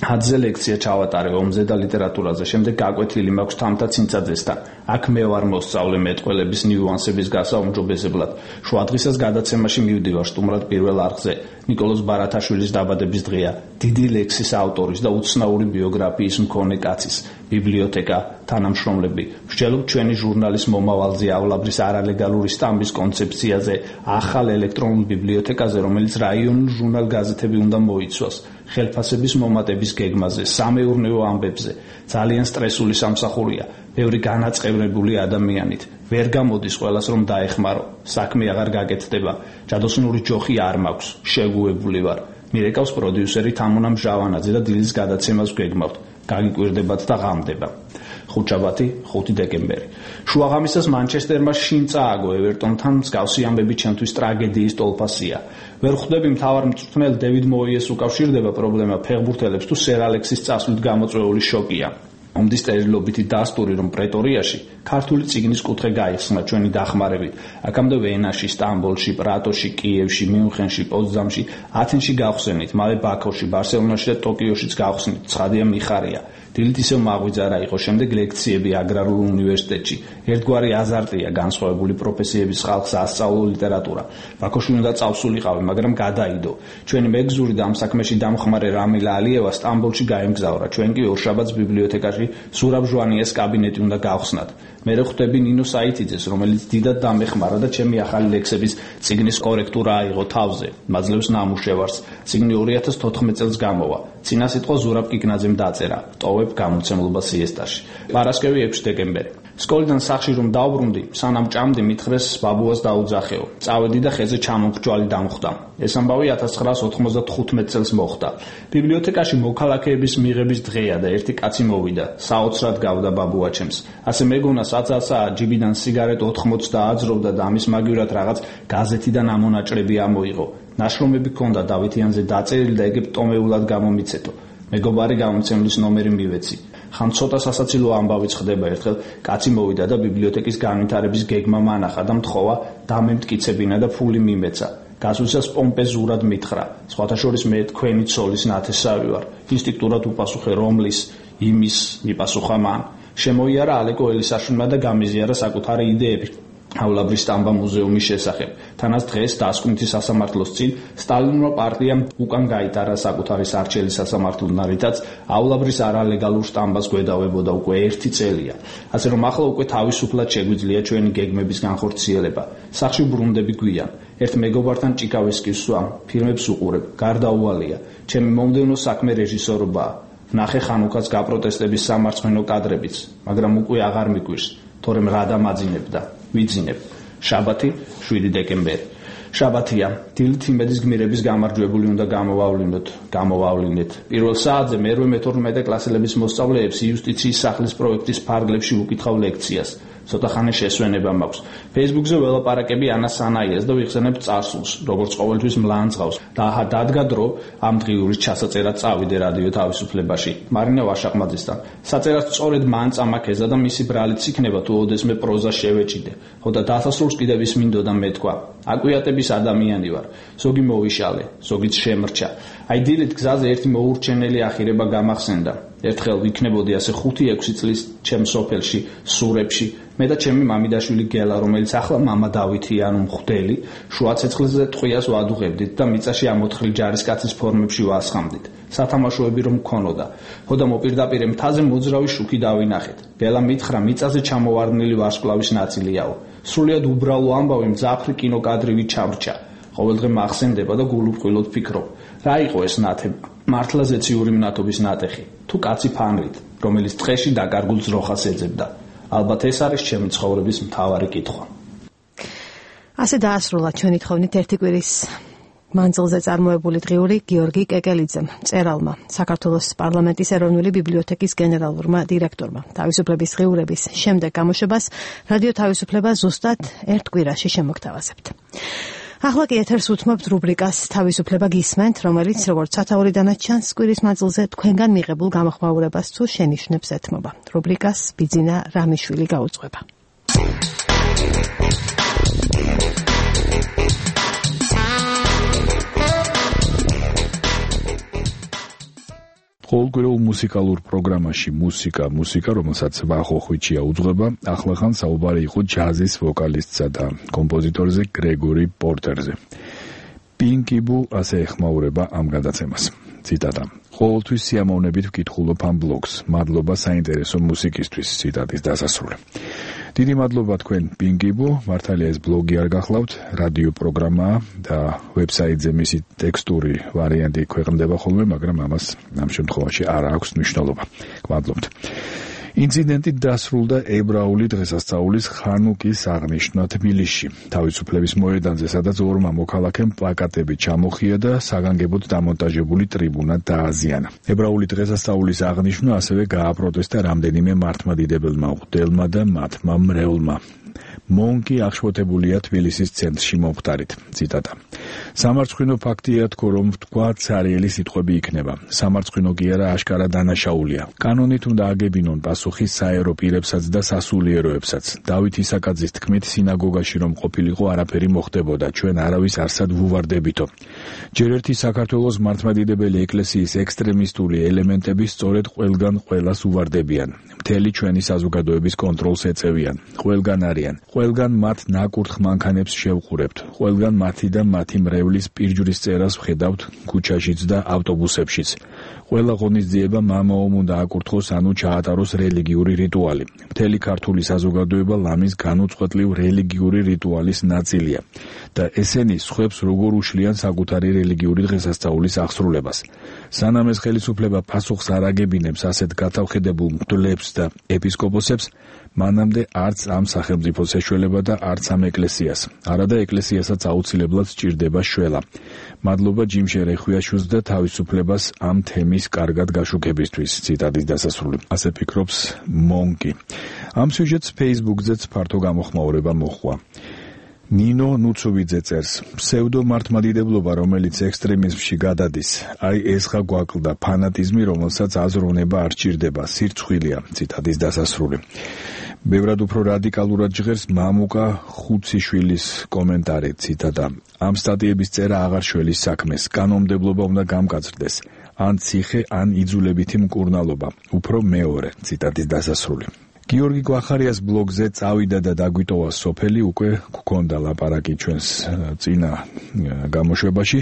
[SPEAKER 7] ჰაძზე ლექცია ჩავატარე ომზე და ლიტერატურაზე. შემდეგ გაკვეთილი მაქვს თამთა ცინცაძესთან. აქ მე ვარ მოსწავლე მეტყველების ნიუანსების გასაუმჯობესებლად. შუადღისას გადაცემაში მივდივარ სტუმრად პირველ არხზე. ნიკოლოზ ბარათაშვილის დაბადების დღეა. დიდი ლექსის ავტორის და უცნაური ბიოგრაფიის მქონე კაცის. ბიბლიოთეკა, თანამშრომლები. ვსჯელობ ჩვენი ჟურნალის მომავალზე,ავლაბრის არალეგალური სტამბის კონცეფციაზე, ახალ ელექტრონულ ბიბლიოთეკაზე, რომელიც რაიონულ ჟურნალ-გაზეთები უნდა მოიცვას. ხელფასების მომატების გეგმაზე, სამეურნეო ამბებზე. ძალიან სტრესული სამსახურია. ბევრი განაწყევრებული ადამიანით. ვერ გამოდის ყველას რომ დაეხმარო. საქმე აღარ გაკეთდება. ჯადოსნური ჯოხი არ მაქვს. შეგუებული ვარ. მირეკავს პროდიუსერი თამუნა მჟავანაძე და დილის გადაცემას გვეგმავთ. გაგიკვირდებათ და ღამდება. ხუთშაბათი 5 დეკემბერი. შუაღამისას მანჩესტერმა შინ წააგო ევერტონთან მსგავსი ამბები ჩემთვის ტრაგედიის ტოლფასია. ვერ ხვდები მთავარ მწვრთნელ დევიდ მოიეს უკავშირდება პრობლემა ფეხბურთელებს თუ სერ ალექსის წასვლით გამოწვეული შოკია. ომდის წერილობითი დასტური რომ პრეტორიაში ქართული წიგნის კუთხე გაიხსნა ჩვენი დახმარებით. აქამდე ვენაში, სტამბოლში, პრატოში, კიევში, მიუნხენში, პოცდამში, ათენში გავხსენით, მალე ბაქოში, ბარსელონაში და ტოკიოშიც გავხსნით. ცხადია მიხარია. დილით ისევ მაღვიძარა იყო, შემდეგ ლექციები აგრარულ უნივერსიტეტში. ერთგვარი აზარტია განსხვავებული პროფესიების ხალხს ასწავლო ლიტერატურა. ბაქოში უნდა წავსულიყავი, მაგრამ გადაიდო. ჩვენი მეგზური და ამ საქმეში დამხმარე რამილა ალიევა სტამბოლში გაემგზავრა. ჩვენ კი ორშაბათს ბიბლიოთეკაში ზურაბ ჟვანიას კაბინეტი უნდა გავხსნათ. მე ხვდები ნინო საიტიძეს, რომელიც დიდად დამეხმარა და ჩემი ახალი ლექსების წიგნის კორექტურა აიღო თავზე. მაძლევს ნამუშევარს. წიგნი 2014 წელს გამოვა. წინასიტყვა ზურაბ კიკნაძემ დაწერა. ტოვებ გამოცემლობა სიესტაში. პარასკევი 6 დეკემბერი. სკოლიდან სახში რომ დავბრუნდი, სანამ ჭამდი მითხრეს ბაბუას დაუძახეო. წავედი და ხეზე ჩამომხჭვალი დამხვდა. ეს ამბავი 1995 წელს მოხდა. ბიბლიოთეკაში მოქალაქეების მიღების დღეა და ერთი კაცი მოვიდა. საოცრად გავდა ბაბუა ჩემს. ასე მეგონა საცასა ჯიბიდან სიგარეტ 80 დააძროვდა და ამის მაგივრად რაღაც გაზეთიდან ამონაჭრები ამოიღო. ნაშრომები ჰქონდა დავითიანზე დაწერილი და ეგებ ტომეულად გამომიცეთო. მეგობარი გამოცემლის ნომერი მივეცი. ხან ცოტა სასაცილო ამბავიც ხდება. ერთხელ კაცი მოვიდა და ბიბლიოთეკის განვითარების გეგმა მანახა და მთხოვა დამემტკიცებინა და ფული მიმეცა. გასვლისას პომპეზურად მითხრა. სხვათა შორის მე თქვენი ცოლის ნათესავი ვარ. ინსტინქტურად უპასუხე რომლის, იმის მიპასუხა მან. შემოიარა ალეკო ელისაშვილმა და გამიზიარა საკუთარი იდეებიავლაბრის სტამბა მუზეუმის შესახებ. თანაც დღეს დასკვნითი სასამართლოს წინ სტალინურმა პარტიამ უკან გაიტარა საკუთარი სარჩელი სასამართლოდან, რითაცავლაბრის არალეგალურ სტამბას გვედავებოდა უკვე 1 წელია. ასე რომ ახლა უკვე თავისუფლად შეგვიძლია ჩვენი გეგმების განხორციელება. სახში ბრუნდები გვიან. ერთ მეგობართან ჭიკავესკის სვამ, ფილმებს უყურებ, გარდაუვალია. ჩემი მომდევნო საქმე რეჟისორობაა. ნახე ხანუქას გაპროტესტების სამარცხვინო კადრებიც, მაგრამ უკვე აღარ მიგვირს, თორემ რა დამაძინებდა. ვიძინებ. შაბათი 7 დეკემბერი. შაბათია. დილით იმედის გმირების გამარჯვებული უნდა გამოვავლინოთ. პირველ საათზე მე-12 კლასელების მოსწავლეებს იუსტიციის სახლის პროექტის ფარგლებში უკითხავ ლექციას. ცოტა ხანი შესვენება მაქვს. Facebook-ზე ველაპარაკები ანა სანაიას და ვიხსენებ წარსულს, როგორც ყოველთვის მლანძღავს. დადგა დრო ამ დღიურის ჩასაწერად წავიდე რადიო თავისუფლებაში. მარინა ვაშაყმაძესთან. საწერად სწორედ მან წამაქეზა და მისი ბრალიც იქნება თუ ოდესმე პროზა შევეჭიდე. ხო და დასასრულს კიდევ ის მინდოდა მეთქვა. აკვიატების ადამიანი ვარ. ზოგი მოვიშალე, ზოგიც შემრჩა. აი დილით გზაზე ერთი მოურჩენელი ახირება გამახსენდა. ერთხელ ვიქნებოდი ასე 5-6 წლის ჩემ სოფელში, სურებში, მე და ჩემი მამიდაშვილი გელა, რომელიც ახლა მამა დავითი ანუ მხვდელი, შუა ცეცხლზე ტყვიას ვადუღებდით და მიწაში ამოთხრი ჯარისკაცის ფორმებში ვასხამდით. სათამაშოები რომ მქონოდა. ხო და მოპირდაპირ მთაზე მოძრავი შუქი დავინახეთ. გელა მითხრა მიწაზე ჩამოვარდნილი ვარსკვლავის ნაწილიაო. სრულიად უბრალო ამბავი მძაფრი კინოკადრივით ჩამრჩა. ყოველდღე მახსენდება და გულუბრყვილოდ ფიქრობ. რა იყო ეს ნათება? მართლა ზეციური მნათობის ნატეხი, თუ კაცი ფანრით, რომელიც ტყეში დაკარგულ ძროხას ეძებდა. ალბათ ეს არის ჩემი ცხოვრების მთავარი კითხვა.
[SPEAKER 1] ასე დაასრულა ჩვენი თხოვნით ერთი კვირის მანძილზე წარმოებული დღიური გიორგი კეკელიძემ, მწერალმა, საქართველოს პარლამენტის ეროვნული ბიბლიოთეკის გენერალურმა დირექტორმა. თავისუფლების დღიურების შემდეგ გამოშვებას რადიო თავისუფლება ზუსტად ერთ კვირაში შემოგთავაზებთ. ახლა კი ეთერს უთმობთ რუბრიკას თავისუფლება გისმენთ, რომელიც როგორც სათაურიდანაც ჩანს კვირის მანძილზე თქვენგან მიღებულ გამოხმაურებას თუ შენიშვნებს ეთმობა. რუბრიკას ბიძინა რამიშვილი გაუძღვება.
[SPEAKER 18] ყოველკვირეულ მუსიკალურ პროგრამაში მუსიკა, რომელსაც ვახო ხვიჩია უძღვება, ახლახან საუბარი იყო ჯაზის ვოკალისტსა და კომპოზიტორზე გრეგორი პორტერზე. პინკიბუ ასე ეხმაურება ამ გადაცემას. ციტატა: ყოველთვის სიამოვნებით ვკითხულობ ამ ბლოგს. მადლობა საინტერესო მუსიკისთვის. ციტატის დასასრული. დიდი მადლობა თქვენ პინკიბუ, მართალია ეს ბლოგი არ გახლავთ, რადიო პროგრამაა და ვებსაიტზე მისი ტექსტური ვარიანტი ქვეყნდება ხოლმე, მაგრამ ამას ამ შემთხვევაში არ აქვს მნიშვნელობა. გმადლობთ. ინციდენტი დასრულდა ებრაული დღესასწაულის ხანუკის აღნიშვნა თბილისში. თავისუფლების მოედანზე, სადაც ორმა მოქალაქემ პლაკატები ჩამოხია და საგანგებოდ დამონტაჟებული ტრიბუნა დააზიანა. ებრაული დღესასწაულის აღნიშვნა ასევე გააპროტესტა რამდენიმე მართლმადიდებელმა მღვდელმა და მათმა მრევლმა. მონკი აღშფოთებულია თბილისის ცენტრში მომხდარით. ციტატა: სამარცხვინო ფაქტია თქო, რომ თქვა ცარიელი სიტყვები იქნება. სამარცხვინო კი არა, აშკარა დანაშაულია. კანონით უნდა აგებინონ პასუხი საერო პირებსაც და სასულიეროებსაც. დავით ისაკაძის თქმით, სინაგოგაში რომ ყოფილიყო, არაფერი მოხდებოდა. ჩვენ არავის არსად ვუვარდებითო. ჯერ ერთი საქართველოს მართლმადიდებელი ეკლესიის ექსტრემისტული ელემენტები სწორედ ყველგან ყველას უვარდებიან. მთელი ჩვენი საზოგადოების კონტროლს ეწევიან. ყველგან არიან. ყველგან მათ ნაკურთხ მანქანებს შევყურებთ. ყველგან მათი და მათი მრევლის პირჯვრის წერას ვხედავთ ქუჩაშიც და ავტობუსებშიც. ყველა ღონისძიება მამაომ უნდა აკურთხოს, ანუ ჩაატაროს რელიგიური რიტუალი. მთელი ქართული საზოგადოება ლამის განუწყვეტლივ რელიგიური რიტუალის ნაწილია და ესენი სხვებს როგორ უშლიან საკუთარი რელიგიური დღესასწაულის აღსრულებას. სანამ ეს ხელისუფლება პასუხს არ აგებინებს ასეთ გათავხედებულ მღვდლებს და ეპისკოპოსებს, მანამდე არც ამ სახელმწიფოს ეშველება და არც ამ ეკლესიას. არადა ეკლესიასაც აუცილებლად სჭირდება შველა. მადლობა ჯიმშე რეხვიაშვილს და თავისუფლებას ამ თემის კარგად გაშუქებისთვის. ციტატის დასასრული. ასე ფიქრობს მონკი. ამ სიუჟეტს Facebook-ზეც ფართო გამოხმაურება მოჰყვა. ნინო ნუცოვიძე წერს: ფსევდო მართლმადიდებლობა, რომელიც ექსტრემიზმში გადადის, აი ეს ხა გვაკლდა ფანატიზმი, რომელსაც აზროვნება არ სჭირდება, სირცხვილია. ციტატის დასასრული. ბევრად უფრო რადიკალურად ჟღერს მამუკა ხუციშვილის კომენტარი. ციტატა: ამ სტატიების წერა აღარ შველის საქმეს, კანონმდებლობა უნდა გამკაცრდეს, ან ციხე, ან იძულებითი მკურნალობა, უფრო მეორე. ციტატის დასასრული. გიორგი გვახარიას ბლოგზე წავიდა და დაგვიტოვა სოფელი უკვე გქონდა ლაპარაკი ჩვენს წინა გამოშვებაში.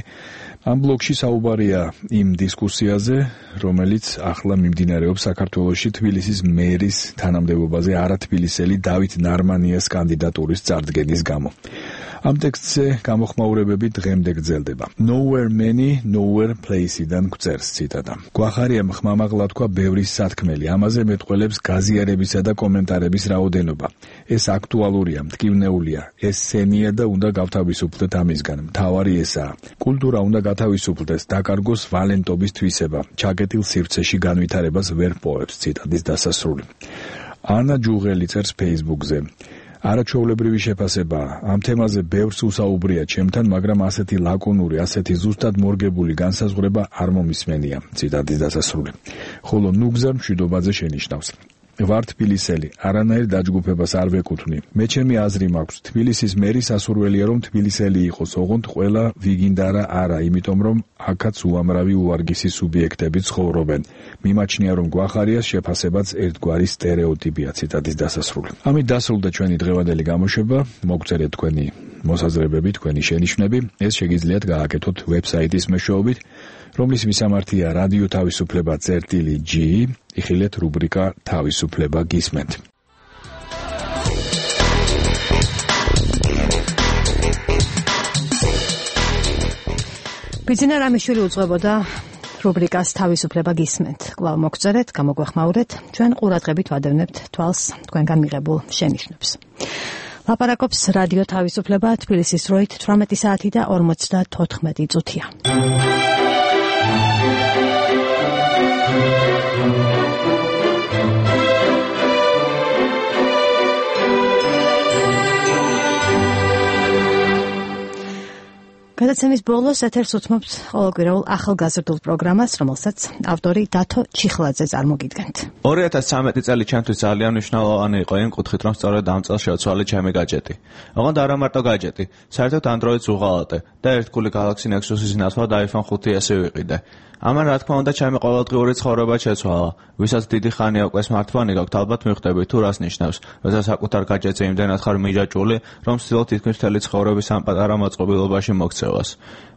[SPEAKER 18] ამ ბლოგში საუბარია იმ დისკუსიაზე, რომელიც ახლა მიმდინარეობს საქართველოში თბილისის მერის თანამდებობაზე არათბილისელი დავით ნარმანიას კანდიდატურის წარდგენის გამო. ამ ტექსტზე გამოხმაურებები დღემდე გრძელდება. Nowhere many, nowhere place-დან გვწერს ციტატა. გვახარია ხმამაღლა თქვა ბევრი სათქმელი, ამაზე მეტყველებს გაზიარებისა და კომენტარების რაოდენობა. ეს აქტუალურია, მტკივნეულია, ეს სენია და უნდა გავთავისუფლდეთ ამისგან. მთავარი ესაა. კულტურა უნდა გათავისუფლდეს, დაკარგოს ვალენტობის თვისება, ჩაკეტილ სივრცეში განვითარებას ვერ პოებს. ციტატის დასასრული. ანა ჯუღელი წერს Facebook-ზე. არაჩვეულებრივი შეფასებაა. ამ თემაზე ბევრს უსაუბრია ჩემთან, მაგრამ ასეთი ლაკონური, ასეთი ზუსტად მორგებული განსაზღვრება არ მომისმენია. ციტატის დასასრული. ხოლო ნუგზა მშვიდობაზე შენიშნავს. ვარ თბილისელი, არანაირ დაჯგუფებას არ ვეკუთვნი. მე ჩემი აზრი მაქვს, თბილისის მერის ასურველია რომ თბილისელი იყოს, ოღონდ ყველა ვიგინდარა არა, იმიტომ რომ აქაც უამრავი უვარგისი სუბიექტები ცხოვრობენ. მიმაჩნია რომ გვახარიას შეფასებაც ერთგვარი სტერეოტიპია. ციტატის დასასრული. ამით დასრულდა ჩვენი დღევანდელი გამოშვება. მოგწერეთ თქვენი მოსაზრებები, თქვენი შენიშვნები. ეს შეგიძლიათ გააკეთოთ ვებსაიტის მეშვეობით, რომლის მისამართია რადიო თავისუფლება წერტილი.g, იხილეთ რუბრიკა თავისუფლება გისმენთ.
[SPEAKER 1] ბიძინა რამიშვილი უძღვებოდა რუბრიკას თავისუფლება გისმენთ. კვლავ მოგწერეთ, გამოგვეხმაურეთ, ჩვენ ყურადღებით ვადევნებთ თვალს თქვენგან მიღებულ შენიშვნებს. ლაპარაკობს რადიო თავისუფლება, თბილისის დროით 18 საათი და 54 წუთია. გადაცემის ბოლოს ეთერს უთმობთ ყოველკვირეულ ახალგაზრდულ პროგრამას, რომელსაც ავტორი დათო ჩიხლაძე წარმოგიდგენთ.
[SPEAKER 19] 2013 წელი ჩემთვის ძალიან მნიშვნელოვანი იყო იმ კუთხით, რომ სწორედ ამ წელს შევცვალე ჩემი გაჯეტი. ოღონდ არა მარტო გაჯეტი, საერთოდ Android-ს უღალატე და ერთგული Galaxy Nexus-ის ნაცვლად iPhone 5S ვიყიდე. ამან რა თქმა უნდა ჩემი ყოველდღიური ცხოვრება შეცვალა. ვისაც დიდი ხანია უკვე smartphone-ი გაქვთ, ალბათ მიხვდებით თუ რას ნიშნავს, როცა საკუთარ გაჯეტზე იმდენად ხარ მიჯაჭვული, რომ ცდილობ თითქმის მთელი ცხოვრების ამ პატარა მოწყობილობაში მოქცევას.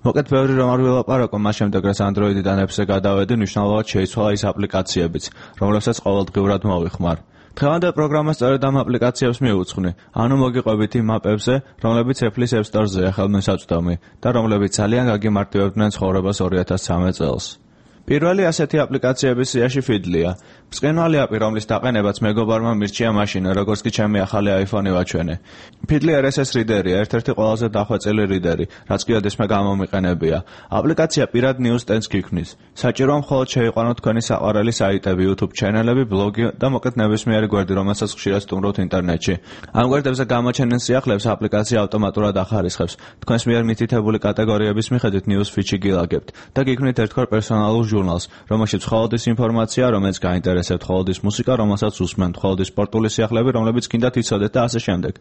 [SPEAKER 19] მოკეთ ბევრი რომ არ ვილაპარაკო, მას შემდეგ რაც Android-დან Apps-ზე გადავედი, მნიშვნელოვნად შეიცვალა ის აპლიკაციებიც, რომლებსაც ყოველდღიურად მოვიხმარ. დღევანდელ პროგრამას სწორედ ამ აპლიკაციებს მივუძღვნი, ანუ მოგიყვებით იმ მაპებზე, რომლებიც Apple-ის App Store-ზე ხელმისაწვდომი და რომლებიც ძალიან გაგიმარტივებდნენ ცხოვრებას 2013 წელს. პირველი ასეთი აპლიკაციების სიაში Feedly-ა. ბრწყინვალე აპი, რომლის დაყენებაც მეგობარმა მირჩია მაშინ, როგორც კი ჩემი ახალი iPhone-ი ვაჩვენე. Feedly RSS reader-ია, ერთ-ერთი ყველაზე დახვეწილი რიდერი, რაც კი ოდესმე გამომიყენებია. აპლიკაცია პირად news-stand გიქმნის. საჭიროა მხოლოდ შეიყვანოთ თქვენი საყვარელი საიტები, YouTube ჩანელები, ბლოგი და მოკეთ ნებისმიერი გვერდი, რომელსაც ხშირად სტუმრობთ ინტერნეტში. ამ გვერდებზე გამოჩენილ სიახლეებს აპლიკაცია ავტომატურად ახარისხებს. თქვენს მიერ მითითებული კატეგორიების მიხედვით news feed-ში გილაგებთ და გიქმნით ერთგვარ პერსონალურ ჟურნალს, რომელშიც მხოლოდ ის ინფორმაცია, რომელიც გაინტერესებთ, მხოლოდ ის მუსიკა, რომელსაც უსმენთ, მხოლოდ ის სპორტული სიახლეები, რომლებიც გინდათ იცოდეთ და ასე შემდეგ.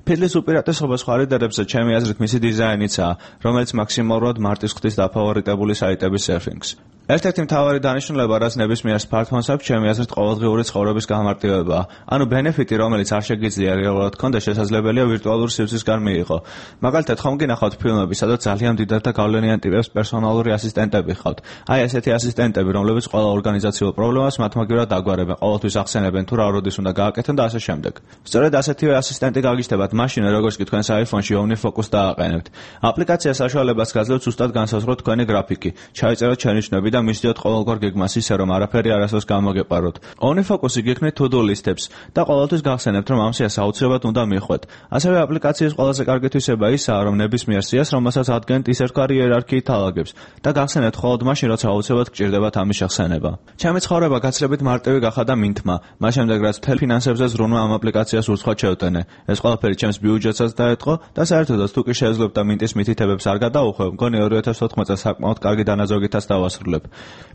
[SPEAKER 19] Feedly-ს უპირატესობა სხვა რიდერებზე ჩემი აზრით მისი დიზაინიცაა, რომელიც მაქსიმალურად მარტის ხვდის დაფავორიტებული საიტების სერფინგს. ერთ-ერთი მთავარი დანიშნულება, რაც ნებისმიერ smartphone-ს აქვს, ჩემი აზრით ყოველდღიური ცხოვრების გამარტივებაა. ანუ ბენეფიტი, რომელიც არ შეგიძლია რეალურად გქონდეს, შესაძლებელია ვირტუალურ სივრცისგან მიიღო. მაგალითად, ხომ გინახავთ ფილმები, სადაც ძალიან დიდად და გავლენიან ტიპებს პერსონალური ასისტენტები ხავთ. აი ესეთი ასისტენტები, რომლებიც ყველა ორგანიზაციულ პრობლემას მათმაგივრად აგვარებენ, ყოველთვის ახსენებენ თუ რა როდის უნდა გააკეთონ და ასე შემდეგ. სწორედ ასეთივე ასისტენტი გაგიჩნდებათ მაშინ, როგორც კი თქვენს iPhone-ში OmniFocus დააყენებთ. აპლიკაცია საშუალებას გაძლევს ზუსტად განსაზღვროთ თქვენი გრაფიკი, ჩაიწეროთ შენიშვნები და მისდიოთ ყოველგვარ გეგმას ისე, რომ არაფერი არასდროს გამოგეპაროთ. OmniFocus-ი გიქმნით to-do list-ებს და ყოველთვის გახსენებთ, რომ ამ სიას აუცილებლად უნდა მიხვდეთ. ასევე აპლიკაციის ყველაზე კარგი თვისება ისაა, რომ ნებისმიერ სიას, რომელსაც ადგენთ, ის ერთგვარი იერარქიით ალაგებს და გახსენებთ მხოლოდ მაშინ, როცა აუცილებლად გჭირდებათ ამის შეხსენება. ჩემი ცხოვრება გაცილებით მარტივი გახადა მინთმა, მას შემდეგ რაც მთელ ფინანსებზე ზრუნვა ამ აპლიკაციას ურცხვად შევტენე. ეს ყველაფერი ჩემს ბიუჯეტსაც დაეთყო და საერთოდაც თუ კი შეეძლებ და მინტის მითითებებს არ გადაუხვევ, მგონი 2014 წელს საკმაოდ კარგი დანაზოგითაც დავასრულებ.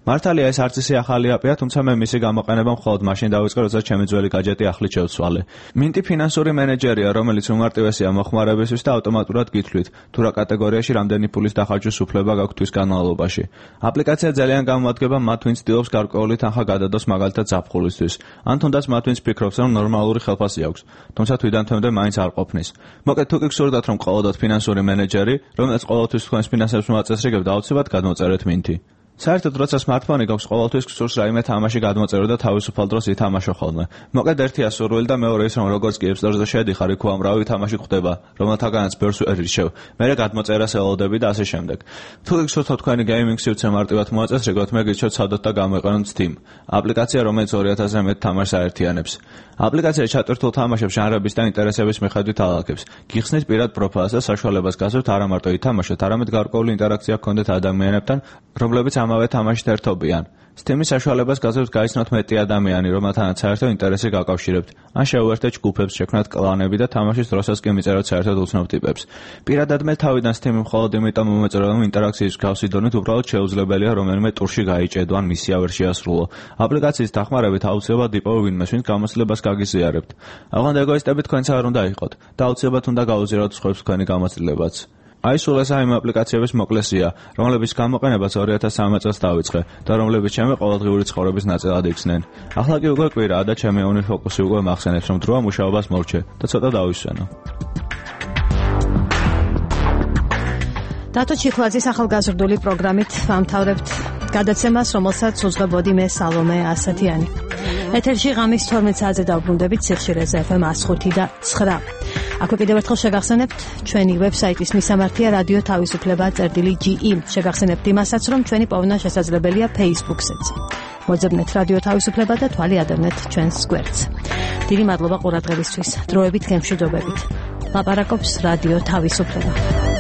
[SPEAKER 19] მართალია ეს არც ისე ახალი აპია, თუმცა მე მისი გამოყენება მხოლოდ მაშინ დავიწყე, როცა ჩემი ძველი გაჯეტი ახლით შევცვალე. მინტი ფინანსური მენეჯერია, რომელიც უმარტივესია მოხმარებისთვის და ავტომატურად გითვლით, თუ რა კატეგორიაში რამდენი ფულის დახარჯვის უფლება გაქვთ თვის განმავლობაში. აპლიკაცია ძალიან გამოადგება მათ, ვინც ცდილობს გარკვეული თანხა გადადოს მაგალითად ზაფხულისთვის, ან თუნდაც მათ, ვინც ფიქრობს, რომ ნორმალური ხელფასი აქვს, თუმცა თვიდან თვემდე მაინც არ ყოფნის. მოკეთ თუ კი გსურდათ, რომ ყოლოდოთ ფინანსური მენეჯერი, რომელიც ყოველთვის თქვენს ფინანსებს მოაწესრიგებდა, აუცილებლად გადმოწერეთ მინთი. საერთოდ როცა smartphone-ი გაქვს, ყოველთვის გსურს რაიმე თამაში გადმოწერო და თავისუფალ დროს ითამაშო ხოლმე. მოკლედ ერთია სურვილი და მეორე ის რომ როგორც კი App Store-ზე შედიხარ, იქ უამრავი თამაში ხვდება, რომელთაგანაც ბევრს ვერ ირჩევ. მერე გადმოწერას ელოდები და ასე შემდეგ. თუ გსურთ თქვენი gaming სივრცე მარტივად მოაწესრიგოთ, მე გირჩევთ ცადოთ და გამოიყენოთ Steam. აპლიკაცია, რომელიც 2000-ზე მეტ თამაშს აერთიანებს. აპლიკაცია ჩატვირთულ თამაშებს ჟანრების და ინტერესების მიხედვით ალაგებს. გიხსნით პირად პროფაილს და საშუალებას გასცემთ არა მარტო ითამაშოთ, არამედ გარკვეული ინტერაქცია გქონდეთ ადამიანებთან, რომლებიც ამავე თამაშით ერთობიან. Steam-ის საშუალებას გასცემთ გაიცნოთ მეტი ადამიანი, რომელთანაც საერთო ინტერესი გაკავშირებთ. ან შეუერთეთ ჯგუფებს, შექმნათ კლანები და თამაშის დროსაც კი მიწეროთ საერთოდ უცნობ ტიპებს. პირადად მე თავიდან Steam-ი მხოლოდ იმიტომ მომეწონა, რომ ინტერაქციის მსგავსი დონით უბრალოდ შეუძლებელია რომელიმე ტურში გაიჭედო ან მისია ვერ შეასრულო. აპლიკაციის დახმარებით აუცილებლად იპოვო ვინმეს, ვინც გამოცდილებას გაგიზიარებთ. აღარ ეგოისტები თქვენც არ უნდა იყოთ და აუცილებლად უნდა გაუზიაროთ სხვებს თქვენი გამოცდილებაც. აი სულ ეს ამ აპლიკაციების მოკლესია, რომლების გამოყენებას 2013 წელს დავიწყე და რომლებიც ჩემი ყოველდღიური ცხოვრების ნაწილად იქცნენ. ახლა კი უკვე კვირაა და ჩემი ონლაინ ფოკუსი უკვე მახსენებს, რომ დროა მუშაობას მორჩე და ცოტა დავისვენო.
[SPEAKER 1] დათო ჩიხლაძის ახალგაზრდული პროგრამით ვამთავრებთ გადაცემას, რომელსაც უძღვებოდი მე სალომე ასათიანი. ეთერში ღამის 12 საათზე დავბრუნდებით სიხშირეზე FM 105 და 9. აქვე კიდევ ერთხელ შეგახსენებთ ჩვენი ვებსაიტის მისამართია რადიო თავისუფლება.ge. შეგახსენებთ იმასაც, რომ ჩვენი პოვნა შესაძლებელია Facebook-ზეც. მოძებნეთ რადიო თავისუფლება და თვალი ადევნეთ ჩვენს გვერდს. დიდი მადლობა ყურადღებისთვის. დროებით გემშვიდობებით. ლაპარაკობს რადიო თავისუფლება.